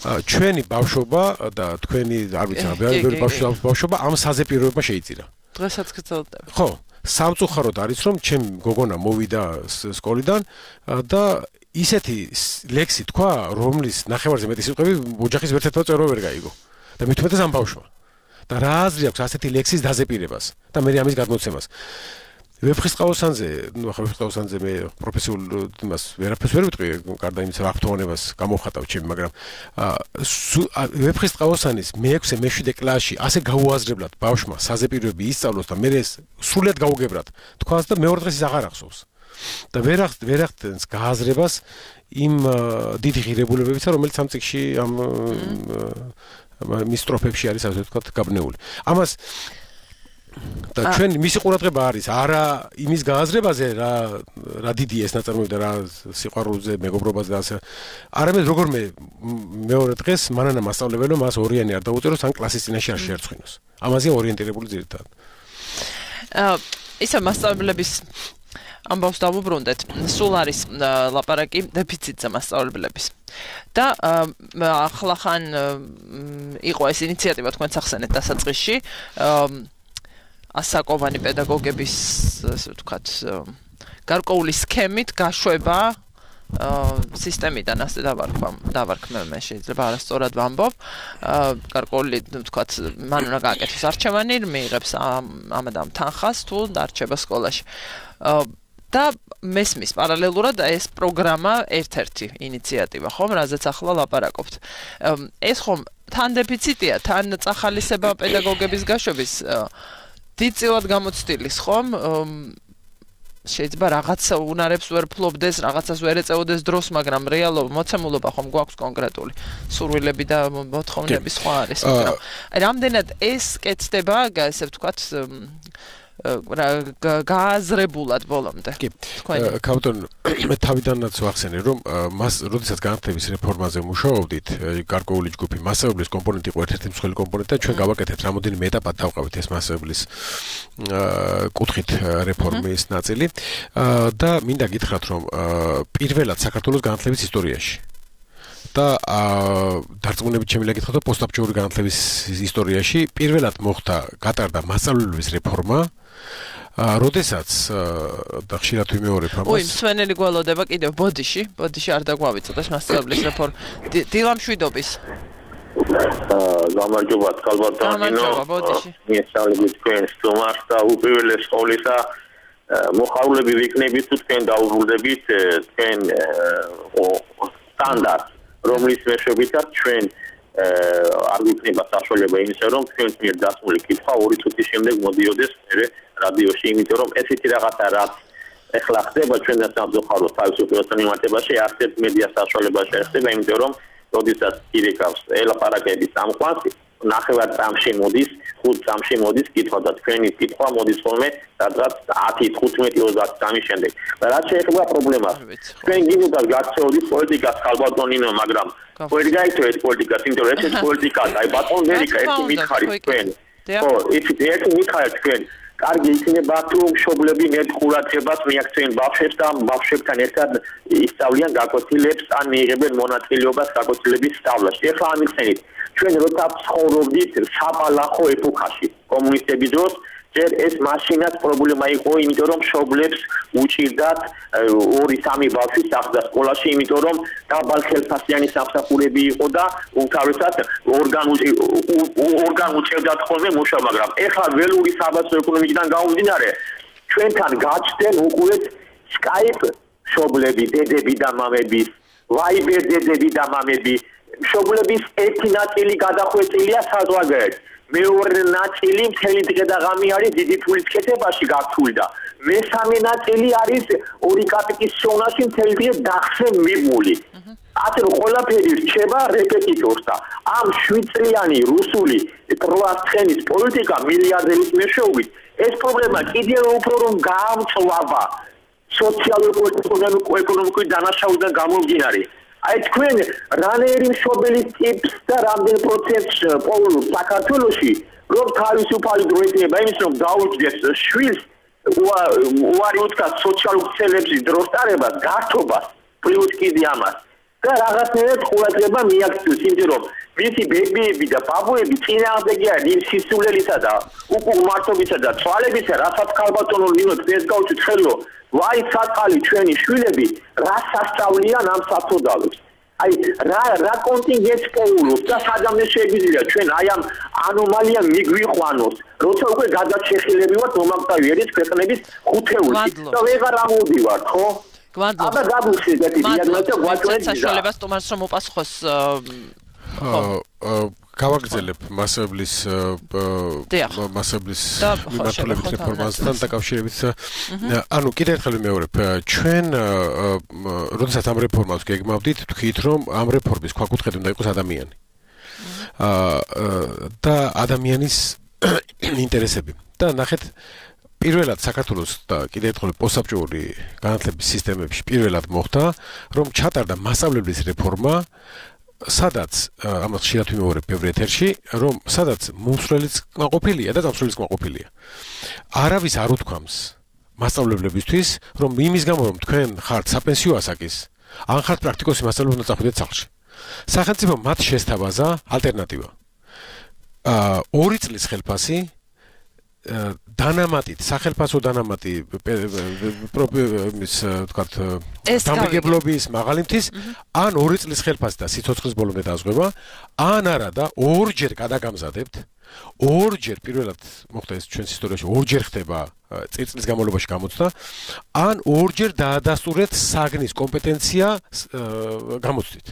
ჩვენი ბავშვობა და თქვენი არ ვიცი რა, ბევრი ბავშვობა ამ საზეპიროება შეიწირა. დღესაც გრძელდება. ხო, სამწუხაროდ არის რომ ჩემ გოგონა მოვიდა სკოლიდან და ისეთი ლექსი თქვა, რომლის ნახევარზე მეტი სიტყვები ოჯახის ერთ-ერთმა წევრმა ვერ გაიგო. და მithumetes ამ ბავშვმა. და რა აზრი აქვს ასეთი ლექსის დაზეპირებას და მე ამის გადმოცემას. ვეფხისტყაოსანზე, ნუ ახლა ვეფხისტყაოსანზე მე პროფესიულ იმას ვერაფერს ვერ ვიტყვი, გარდა იმისა, რა აქტუალებას გამოვხატავ ჩემი, მაგრამ ვეფხისტყაოსანის მე-6 მე-7 კლასში ასე გაუაზრებლად ბავშვმა საზეპიროები ისწავლოს და მე ეს სრულად გაუგებრად თქვას და მეორე დღეს ის აღარ ახსოვს. და ვერ ახდენს გააზრებას იმ დიდი ღირებულებებისა, რომელიც ამ წიგნში ამ მის სტროფებში არის, ასე ვთქვათ, გაბნეული. ამას და ჩვენ მისი ყურადღება არის არა იმის გააზრებაზე, რა დიდია ეს ნაწარმოები და რა სიყვარულზე, მეგობრობაზე და ასე. არამედ როგორმე მეორე დღეს მანანა მასწავლებელო მას ორიანი არ დაუწეროს, ან კლასის წინაშე არ შეერცხინოს. ამაზე ორიენტირებული ძირითადად. ისა მასწავლებლების ამბავს დავუბრუნდეთ. სულ არის ლაპარაკი დეფიციტზე მასწავლებლების. და ახლახან იყო ეს ინიციატივა თქვენც ახსენეთ დასაწყისში. ასაკოვანი პედაგოგების, ასე ვთქვათ, გარკვეული სქემით გაშვება სისტემიდან ასე დავარქმევ მე შეიძლება არასწორად ვამბობ. გარკვეული, ვთქვათ, მან უნდა გააკეთოს არჩევანი, მიიღებს ამადამ თანხას თუ დარჩება სკოლაში. და მესმის პარალელურად ეს პროგრამა ერთ-ერთი ინიციატივა, ხომ, რაზეც ახლა ლაპარაკობთ. ეს ხომ თან დეფიციტია, თან წახალისება პედაგოგების გაშვების დიდწილად გამოცდილის, ხომ? შეიძლება რაღაცა უნარებს ვერ ფლობდეს, რაღაცას ვერ ეწეოდეს დროს, მაგრამ რეალობა, მოცემულობა ხომ გვაქვს კონკრეტული. სურვილები და მოთხოვნები სხვა არის, მაგრამ რამდენად ეს კეთდება, ესე ვთქვათ, გააზრებულად ბოლომდე. კი. კაპიტან, მე თავიდანაც ვახსენე, რომ მას, როდესაც განათლების რეფორმაზე მუშაობდით, გარკვეული ჯგუფი მასწავლებლის კომპონენტი იყო ერთ-ერთი მსხვილი კომპონენტი და ჩვენ გავაკეთეთ რამოდენიმე ეტაპად დავყავით ეს მასწავლებლის კუთხით რეფორმის ნაწილი და მინდა გითხრათ, რომ პირველად საქართველოს განათლების ისტორიაში და დარწმუნებით შემიძლია გითხრათ, რომ პოსტაბჭოური განათლების ისტორიაში პირველად გატარდა მასწავლებლების რეფორმა, როდესაც და ხშირად ვიმეორებ ამას. მსვენელი გველოდება კიდევ ბოდიში არ დაგვავიწყდეს მასწავლებლის რეფორმა. დილა მშვიდობის. გამარჯობა, კალბატონინო. მიესალმებით თქვენ სტუმარს და უპირველეს ყოვლისა მოხარულები ვიქნებით თუ თქვენ დაუბრუნდებით თქვენ სტანდარტ, რომლის მეშვეობითაც ჩვენ არ გვიქნება საშუალება იმისა, რომ თქვენს მიერ დასმული კითხვა 2 წუთის შემდეგ მოდიოდეს რადიოში, იმიტომ რომ ესეთი რაღაცა რაც ეხლა ხდება ჩვენთან სამწუხაროდ თავისუფლებასთან მიმართებაში არც ერთ მედია საშუალება შეეხება, იმიტომ რომ როდესაც ირეკავს ელაპარაკების ამყვანს, ნახევარ წამში მოდის, 5 წამში მოდის კითხვა და თქვენი კითხვა მოდის ხოლმე სადღაც 10, 15, 20 წამის შემდეგ. და რაც შეეხება პრობლემას, თქვენ გინდათ გაქცეოდით პოლიტიკას ხალბატონინო, მაგრამ ვერ გაიქცევ ეს პოლიტიკას, იმიტომ რომ ეს პოლიტიკა, აი ბატონ ვერიკა ერთი მითხარით თქვენ. ხო, ერთი მითხარით თქვენ. კარგი იქნება თუ მშობლები მეტ ყურადღებას მიაქცევენ ბავშვებს და ბავშვებთან ერთად ისწავლიან გაკვეთილებს ან მიიღებენ მონაწილეობას გაკვეთილების სწავლაში. ეხლა ამიხსენით, ჩვენ როცა ცხოვრობდით საბალახო ეპოქაში, კომუნისტების დროს ჯერ ეს მაშინაც პრობლემა იყო, იმიტომ რომ მშობლებს უჭირდათ 2-3 ბავშვი სახლდა სკოლაში, იმიტომ რომ დაბალხელფასიანი სამსახურები იყო და უმთავრესად ორგან უჭერდათ ხოლმე მუშაობა, მაგრამ ეხლა ველური საბაზრო ეკონომიკიდან გამომდინარე, ჩვენთან გაჩნდნენ უკვე Skype მშობლები, დედები და მამები, Viber დედები და მამები, მშობლების ერთი ნაწილი გადახვეწილია საზღვარგარეთ. მეორე ნაწილი მთელი დღე და ღამე არის დიდი ფულის კეთებაში გართული და მესამე ნაწილი არის 2 კაპიკის შოვნაში მთელი დღე დახსე მიბმული. ასე რომ ყველაფერი რჩება რეპეტიტორს და ამ 7 წლიანი რუსული პროასცხენის პოლიტიკა მილიარდერის მეშვეობით ეს პრობლემა კიდევ უფრო რომ გაამწვავა სოციალურ-ეკონომიკური დანაშაულიდან გამომდინარე. აი თქვენ რანერი მშობელი ტიპს და რამდენ პროცენტს პოულობს საქართველოში რომ თავისუფალი დრო ექნება იმის რომ დაუჯდეს შვილს უარი უთქვა სოციალურ ცელებში დროს ტარებას გართობას პლუს კიდე ამას და რაღაცნაირად ყურადღება მიაქცევს იმიტომ რომ მისი ბებიები და ბაბუები წინააღმდეგი არის იმ სისულელისა და უკუღმართობისა და თვალებისა რასაც ქალბატონო ნინო დღეს გავუჩით ხელო ვაი საწყალი ჩვენი შვილები რა სასწავლიან ამ საწოდალებს აი რა კონტინგენტს პოულობს და სადამდე შეგვიძლია ჩვენ აი ამ ანომალიამ მიგვიყვანოს როცა უკვე გადაჩეხილებივართ მომაკვდავი ერის ქვეყნების ხუთეულში და ვეღარ ამოვდივართ ხო აბა გაგუშვიდეთ დიაგნოზა გვაჩვენეთ საშუალებას თომას რომ უპასუხოს გავაგრძელებ მასებლის მიმართულებით რეფორმასთან დაკავშირებით. ანუ კიდევ ერთხელ ვიმეორებ, ჩვენ როდესაც ამ რეფორმას გეგმავდით, თქვით რომ ამ რეფორმის ქვაკუთხედი უნდა იყოს ადამიანი. და ადამიანის ინტერესები. და ნახეთ პირველად საქართველოს და კიდევ ერთხელ პოსტსაბჭოური განათლების სისტემებში პირველად მოხდა, რომ ჩატარდა მასწავლებლის რეფორმა სადაც ამას ხშირად ვიმეორებ ბევრ ეთერში, რომ სადაც მომსვლელიც კმაყოფილია და დამსვლელიც კმაყოფილია. არავის არ უთქვამს მასწავლებლებისთვის, რომ იმის გამო რომ თქვენ ხართ საპენსიო ასაკის, ან ხართ პრაქტიკოსი მასწავლებლად უნდა წახვიდეთ სახლში. სახელმწიფო მათ შესთავაზა ალტერნატივა. 2 წლის ხელფასი დანამატით, სახელმწიფო დანამატი პრობლემის თქვათ დამგებლობის მაღალიმთის ან 2 წლის ხელფასი და სიცოცხლის ბოლომდე დაზღვევა, ან არა და 2-ჯერ გადაგამზადებთ, 2-ჯერ პირველად მოხდა ეს ჩვენს ისტორიაში 2-ჯერ ხდება წლის განმავლობაში გამოცდა, ან 2-ჯერ დაადასტურეთ საგნის კომპეტენცია გამოცდით.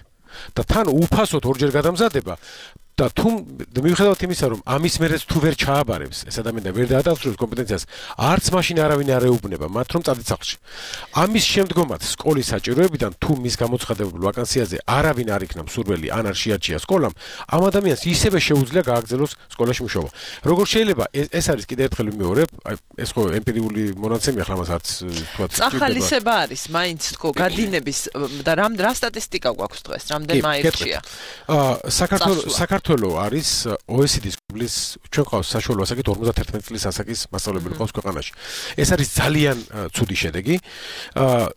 და თან უფასოდ 2-ჯერ გადამზადება და თუ მიუხედავად იმისა, რომ ამის მერეც თუ ვერ ჩააბარებს ეს ადამიანი და ვერ დაადასტურებს კომპეტენციას, არც მაშინ არავინ არ ეუბნება მათ, რომ წადით სახლში. ამის შემდგომაც სკოლის საჭიროებიდან თუ მის გამოცხადებულ ვაკანსიაზე არავინ არ იქნა მსურველი ან არ შეარჩია სკოლამ, ამ ადამიანს ისევე შეუძლია გააგრძელოს სკოლაში მუშაობა. როგორ შეიძლება ეს არის კიდევ ერთხელ ვიმეორებ, აი ეს ხო ემპირიული მონაცემია, ახლა მას არც თქვა ახალისება არის, მაინც თქო, გადინების და რა სტატისტიკა გვაქვს დღეს, რამდენმა აირჩია. საქართველო არის OECD-ის კლუბის ჩვენ ყავს საშუალო ასაკით 51 წლის ასაკის მასწავლებელი ყავს ქვეყანაში. ეს არის ძალიან ცუდი შედეგი.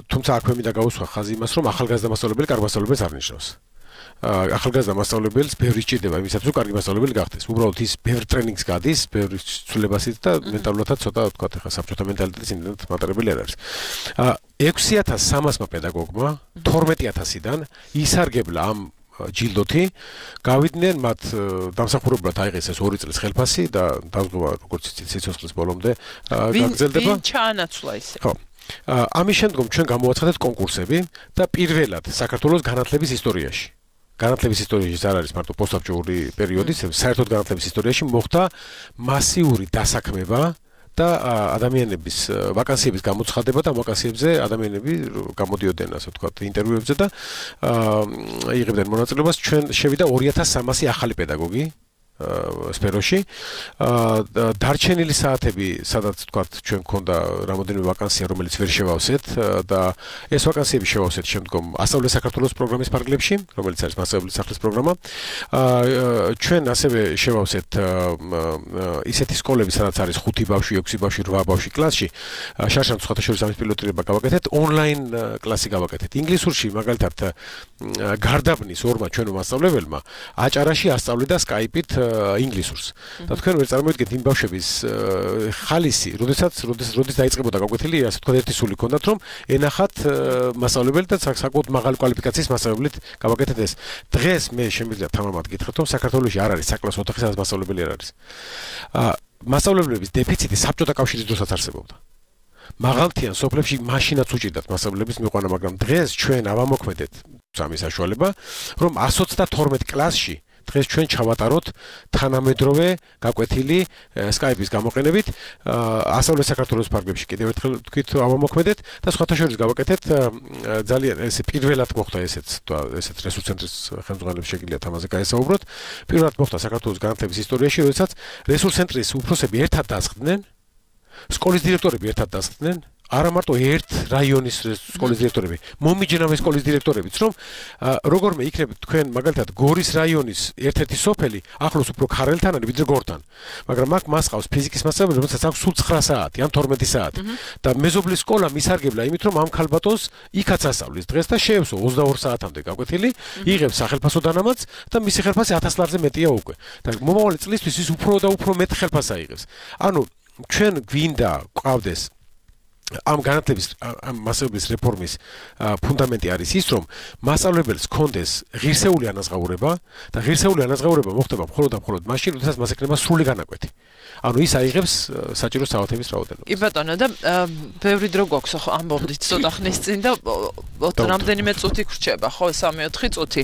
თუმცა აქვე მინდა გავუსვა ხაზი იმას, რომ ახალგაზრდა მასწავლებელი კარგ მასწავლებელს არ ნიშნავს. ახალგაზრდა მასწავლებელს ბევრი სჭირდება იმისათვის, რომ კარგი მასწავლებელი გახდეს. უბრალოდ ის ბევრ ტრენინგს გადის, ბევრი ცვლილებასით და მენტალურადაც ცოტა თქვა ხა საბჭოთა მენტალიტეტის იმდენად მატარებელი არ არის. 6300-მა პედაგოგმა 12000-დან ისარგებლა ამ ჯილდოთი გავიდნენ მათ დამსახურებლად აიღეს ეს 2 წლის ხელფასი და დაზღვევა როგორც იცით სიცოცხლის ბოლომდე გაგრძელდება. ვინ ჩაანაცვლა ისე? ხო. ამის შემდგომ ჩვენ გამოვაცხადეთ კონკურსები და პირველად საქართველოს განათლების ისტორიაში. განათლების ისტორიაში არ არის მარტო პოსტსაბჭოური პერიოდის, საერთოდ განათლების ისტორიაში მოხდა მასიური დასაქმება და ადამიანების ვაკანსიების გამოცხადება და ვაკანსიებზე ადამიანები გამოდიოდნენ ასე ვთქვათ ინტერვიუებზე და იღებდნენ მონაწილეობას. ჩვენ შევიდა 2300 ახალი პედაგოგი სფეროში. დარჩენილი საათები, სადაც თქვათ, ჩვენ გქონდა რამოდენიმე ვაკანსია, რომელიც ვერ შევავსეთ და ეს ვაკანსიები შევავსეთ შემდგომ ასწავლე საქართველოს პროგრამის ფარგლებში, რომელიც არის მასწავლებლის სახლის პროგრამა. ჩვენ ასევე შევავსეთ ისეთი სკოლები, სადაც არის 5 ბავშვი, 6 ბავშვი, 8 ბავშვი კლასში. შარშან სხვადასხვა ამის პილოტირება გავაკეთეთ, ონლაინ კლასი გავაკეთეთ. ინგლისურში მაგალითად გარდაბნის ორმა ჩვენო მასწავლებელმა აჭარაში ასწავლიდა Skype-ით ინგლისურს. და თქვენ ვერ წარმოიდგენთ იმ ბავშვების ხალისი, როდის დაიწყებოდა გაკვეთილი, ასე თქვა ერთი სული ჰქონდათ, რომ ენახათ მასწავლებელი და საკმაოდ მაღალი კვალიფიკაციის მასწავლებლით გავაკეთეთ ეს. დღეს მე შემიძლია თამამად გითხრათ, რომ საქართველოში არ არის საკლასო ოთახი, სადაც მასწავლებელი არ არის. მასწავლებლების დეფიციტი საბჭოთა კავშირის დროსაც არსებობდა. მაღალთიან სოფლებში მაშინაც უჭირდათ მასწავლებლების მიყვანა, მაგრამ დღეს ჩვენ ავამოქმედეთ სამი საშუალება, რომ 132 კლასში დღეს ჩვენ ჩავატაროთ თანამედროვე გაკვეთილი Skype-ის გამოყენებით, ასწავლე საქართველოს ფარგლებში კიდევ ერთხელ თქვით ავამოქმედეთ და სხვათა შორის გავაკეთეთ ძალიან ესე პირველად მოხდა ესეც რესურს ცენტრის ხელმძღვანელებს შეგიძლიათ ამაზე გაესაუბროთ. პირველად მოხდა საქართველოს განათლების ისტორიაში, როდესაც რესურს ცენტრის უფროსები ერთად დასხდნენ, სკოლის დირექტორები ერთად დასხდნენ, არა მარტო ერთ რაიონის სკოლის დირექტორები, მომიჯნავე სკოლის დირექტორებიც, რომ როგორმე იქნებით თქვენ მაგალითად გორის რაიონის ერთ-ერთი სოფელი ახლოს უფრო ქარელთან არის ვიდრე გორთან. მაგრამ აქ მას ყავს ფიზიკის მასწავლებელი, რომელსაც აქვს სულ 9 საათი ან 12 საათი. და მეზობლის სკოლა მისარგებლა იმით, რომ ამ ქალბატონს იქაც ასწავლის დღეს და შეევსო 22 საათამდე გაკვეთილი, იღებს სახელფასო დანამატს და მისი ხელფასი 1000 ლარზე მეტია უკვე. და მომავალი წლისთვის ის უფრო და უფრო მეტ ხელფასს აიღებს. ანუ ჩვენ გვინდა ყავდეს ამ განათლების ამ მასწავლებლის რეფორმის ფუნდამენტი არის ის, რომ მასწავლებელს ჰქონდეს ღირსეული ანაზღაურება და ღირსეული ანაზღაურება მოხდება მხოლოდ და მხოლოდ მაშინ, როდესაც მას ექნება სრული განაკვეთი. ანუ ის აიღებს საჭირო საათების რაოდენობას. კი ბატონო, და ბევრი დრო გვაქვს ხო ამბობდით ცოტა ხნის წინ და რამდენიმე წუთი გრჩება, ხო 3-4 წუთი.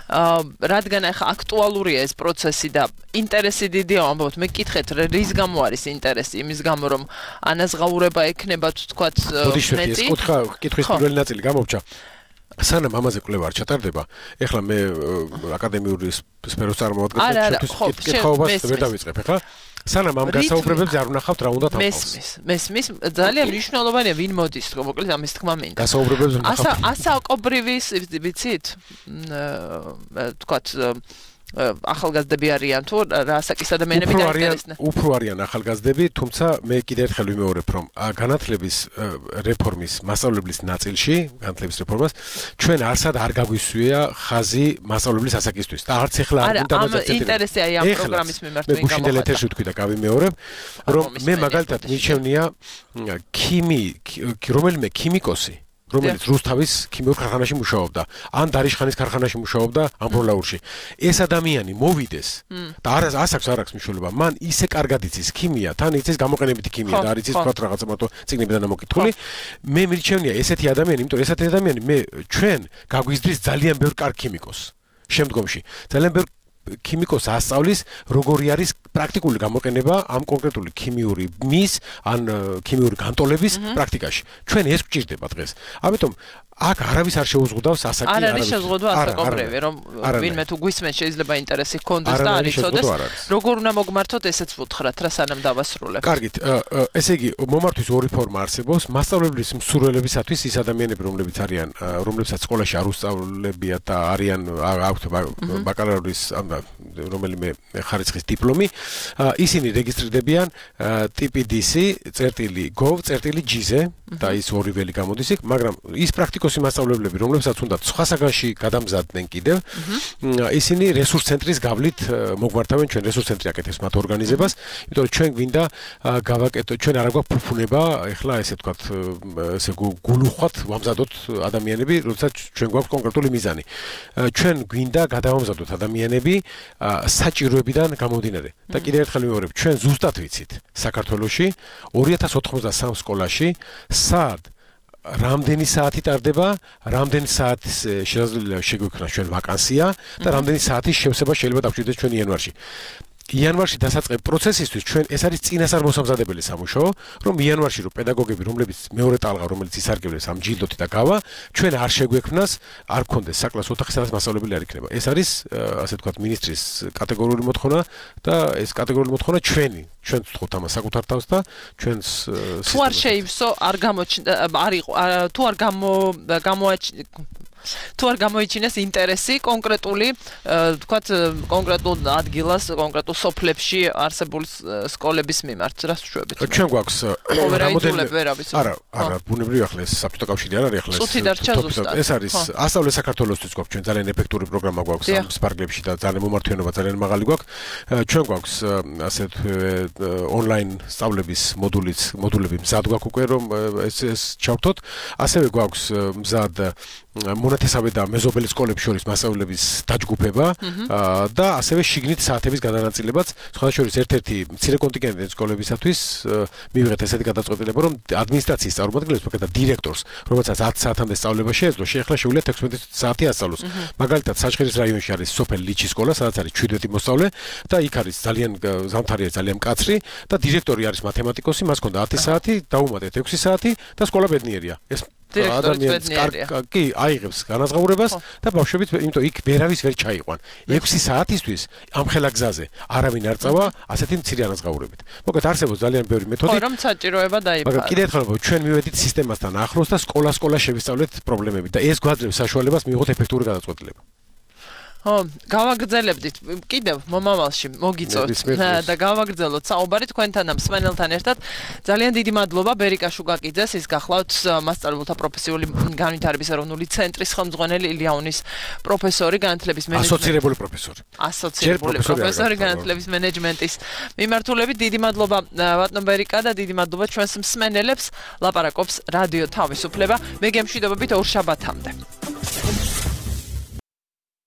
რადგან ახლა აქტუალურია ეს პროცესი და ინტერესი დიდია, ამბობთ, მე გკითხეთ, რის გამო არის ინტერესი, იმის გამო რომ ანაზღაურება ექნება თქვათ მეტი. ეს კითხვის პირველი ნაწილი გამოვჭა. სანამ ამაზე კვლევა არ ჩატარდება, ეხლა მე აკადემიური სფეროს წარმოვადგენ, კითხაობას ვერ დავიწყებ, ეხლა სანამ ამ გასაუბრებებზე არ ვნახავთ რა უნდა თავყავს. მესმის ძალიან მნიშვნელოვანია ვინ მოდის, მოკლედ ამის თქმა მინდა. გასაუბრებებზე ვნახავთ. ასაკობრივის ვიცით? თქვათ ახალგაზრდები არიან თუ რა ასაკის ადამიანები დაინტერესდნენ? უფრო არიან ახალგაზრდები, თუმცა მე კიდევ ერთხელ ვიმეორებ, რომ განათლების რეფორმის მასწავლებლის ნაწილში, განათლების რეფორმას ჩვენ არსად არ გაგვისვია ხაზი მასწავლებლის ასაკისთვის და არც ეხლა არ უნდა ამაზე ინტერესი აი ამ პროგრამის მიმართ ვინ გამოვიდა. მე ეთერში ვთქვი და გავიმეორებ, რომ მე მაგალითად მირჩევნია რომელიმე ქიმიკოსი, რომელიც რუსთავის ქიმიურ ქარხანაში მუშაობდა, ან დარიშხანის ქარხანაში მუშაობდა ამბროლაურში. ეს ადამიანი მოვიდეს და არ აქვს მნიშვნელობა. მან ისე კარგად იცის ქიმია, თან იცის გამოყენებითი ქიმია და არ იცის თქვა რაღაცა მარტო წიგნებიდან ამოკითხული. მე მირჩევნია ესეთი ადამიანი, იმიტომ რომ ესეთი ადამიანი ჩვენ გაგვიზრდის ძალიან ბევრ კარგ ქიმიკოსს. შემდგომში ძალიან ბევრ ქიმიკოს ასწავლის, როგორი არის პრაქტიკული გამოყენება ამ კონკრეტული ქიმიური მის ან ქიმიური განტოლების პრაქტიკაში. ჩვენ ეს გვჭირდება დღეს. ამიტომ აქ არავის არ შეუზღუდავს ასაკი, არ არის შეზღუდვა ასაკობრივი, რომ ვინმე თუ გვისმენს შეიძლება ინტერესი ჰქონდეს და არ იცოდეს, როგორ უნდა მოგმართოთ, ესეც ვუთხრათ რა სანამ დავასრულებ. კარგით, ესე იგი, მომართვის ორი ფორმა არსებობს. მასწავლებლის მსურველებისათვის ის ადამიანები, რომლებსაც სკოლაში არ უსწავლებიათ და არიან აქვთ ბაკალავრის რომელიმე ხარისხის დიპლომი, ისინი რეგისტრირდებიან TPDC.gov.gz-ზე და ის ორი ველი გამოდის იქ, მაგრამ ის პრაქტიკოსი მასწავლებლები, რომლებსაც უნდა სხვა საგანში გადამზადდნენ კიდევ, ისინი რესურს ცენტრის გავლით მოგმართავენ, ჩვენ რესურს ცენტრი აკეთებს მათ ორგანიზებას, იმიტომ რომ ჩვენ გვინდა გავაკეთოთ, ჩვენ არ გვაქვს ფუფუნება, ეხლა ესე ვთქვათ, ესე გულუხვად ვამზადოთ ადამიანები, როდესაც ჩვენ გვაქვს კონკრეტული მიზანი. ჩვენ გვინდა გადავამზადოთ ადამიანები საჭიროებიდან გამომდინარე. და კიდევ ერთხელ ვიმეორებ, ჩვენ ზუსტად ვიცით საქართველოში 2093 სკოლაში სად რამდენი საათი ტარდება, რამდენი საათის შეგვიქმნა ჩვენ ვაკანსია და რამდენი საათის შევსება შეიძლება დაგვჭირდეს ჩვენ იანვარში. იანვარში დასაწყებ პროცესისთვის ჩვენ ეს არის წინასწარ მოსამზადებელი სამუშაო, რომ იანვარში რომ პედაგოგები, რომლებიც მეორე ტალღა, რომელიც ისარგებლეს ამ ჯილდოთი და გავა, ჩვენ არ შეგვექმნას, არ გქონდეს საკლასო ოთახი, სადაც მასწავლებელი არ იქნება. ეს არის ასე ვთქვათ მინისტრის კატეგორიული მოთხოვნა და ეს კატეგორიული მოთხოვნა ჩვენს ვთხოვთ ამას საკუთარ თავს და ჩვენს თუ არ შეივსო, არ თუ არ თუ არ გამოიჩინეს ინტერესი კონკრეტული, ვთქვათ, კონკრეტულ ადგილას, კონკრეტულ სოფლებში არსებული სკოლების მიმართ, რას ვშვებით? ჩვენ გვაქვს არა, ბუნებრივი ახლა ეს საბჭოთა კავშირი არ არის ახლა ეს არის ასწავლე საქართველოსთვის გვაქვს ჩვენ ძალიან ეფექტური პროგრამა გვაქვს ამ სპარგლებში და ძალიან მომართვიანობა ძალიან მაღალი გვაქვს. ჩვენ გვაქვს ასე ონლაინ სწავლების მოდულები მზად გვაქვს უკვე რომ ეს ჩავთოთ. ასევე გვაქვს მზად მონათესავე და მეზობელი სკოლებს შორის მასწავლებლების დაჯგუფება და ასევე შიგნით საათების გადანაწილებაც. სხვადასხვა ერთ-ერთი მცირე კონტინგენტი სკოლებისათვის მივიღეთ ესეთი გადაწყვეტილება, რომ ადმინისტრაციის წარმომადგენლებს, მაგალითად დირექტორს, რომელსაც 10 საათამდე სწავლება შეეძლო, შეეხლა შეუძლია 16 საათი ასწავლოს. მაგალითად, საჩხერის რაიონში არის სოფელ ლიჩის სკოლა, სადაც არის 17 მოსწავლე და იქ არის ძალიან ზამთარია, ძალიან მკაცრი და დირექტორი არის მათემატიკოსი, მას ჰქონდა 10 საათი, დაუმატეთ 6 საათი და სკოლა ბედნიერია. ეს კი აიღებს განაზღაურებას და ბავშვებიც იმიტომ იქ ვერავის ვერ ჩაიყვან 6 საათისთვის ამ ხელა გზაზე არავინ არ წავა ასეთი მცირე ანაზღაურებით. მოკლედ არსებობს ძალიან ბევრი მეთოდი. რომ საჭიროება დაიფარა. მაგრამ კიდევ ერთხელ ჩვენ მივედით სისტემასთან ახლოს და სკოლა შევისწავლეთ პრობლემები და ეს გვაძლევს საშუალებას მივიღოთ ეფექტური გადაწყვეტილება. გავაგრძელებდით კიდევ მომავალში მოგიწევთ და გავაგრძელოთ საუბარი თქვენთან ამ მსმენელთან ერთად. ძალიან დიდი მადლობა ბერიკა შუგაკიძეს, ის გახლავთ მასწავლებელთა პროფესიული განვითარების ეროვნული ცენტრის ხელმძღვანელი, ილიანის პროფესორი განათლების ასოცირებული პროფესორი განათლების მენეჯმენტის მიმართულებით. დიდი მადლობა ბატონ ბერიკა და დიდი მადლობა ჩვენს მსმენელებს. ლაპარაკობს რადიო თავისუფლება. მე გემშვიდობებით ორ შაბათამდე.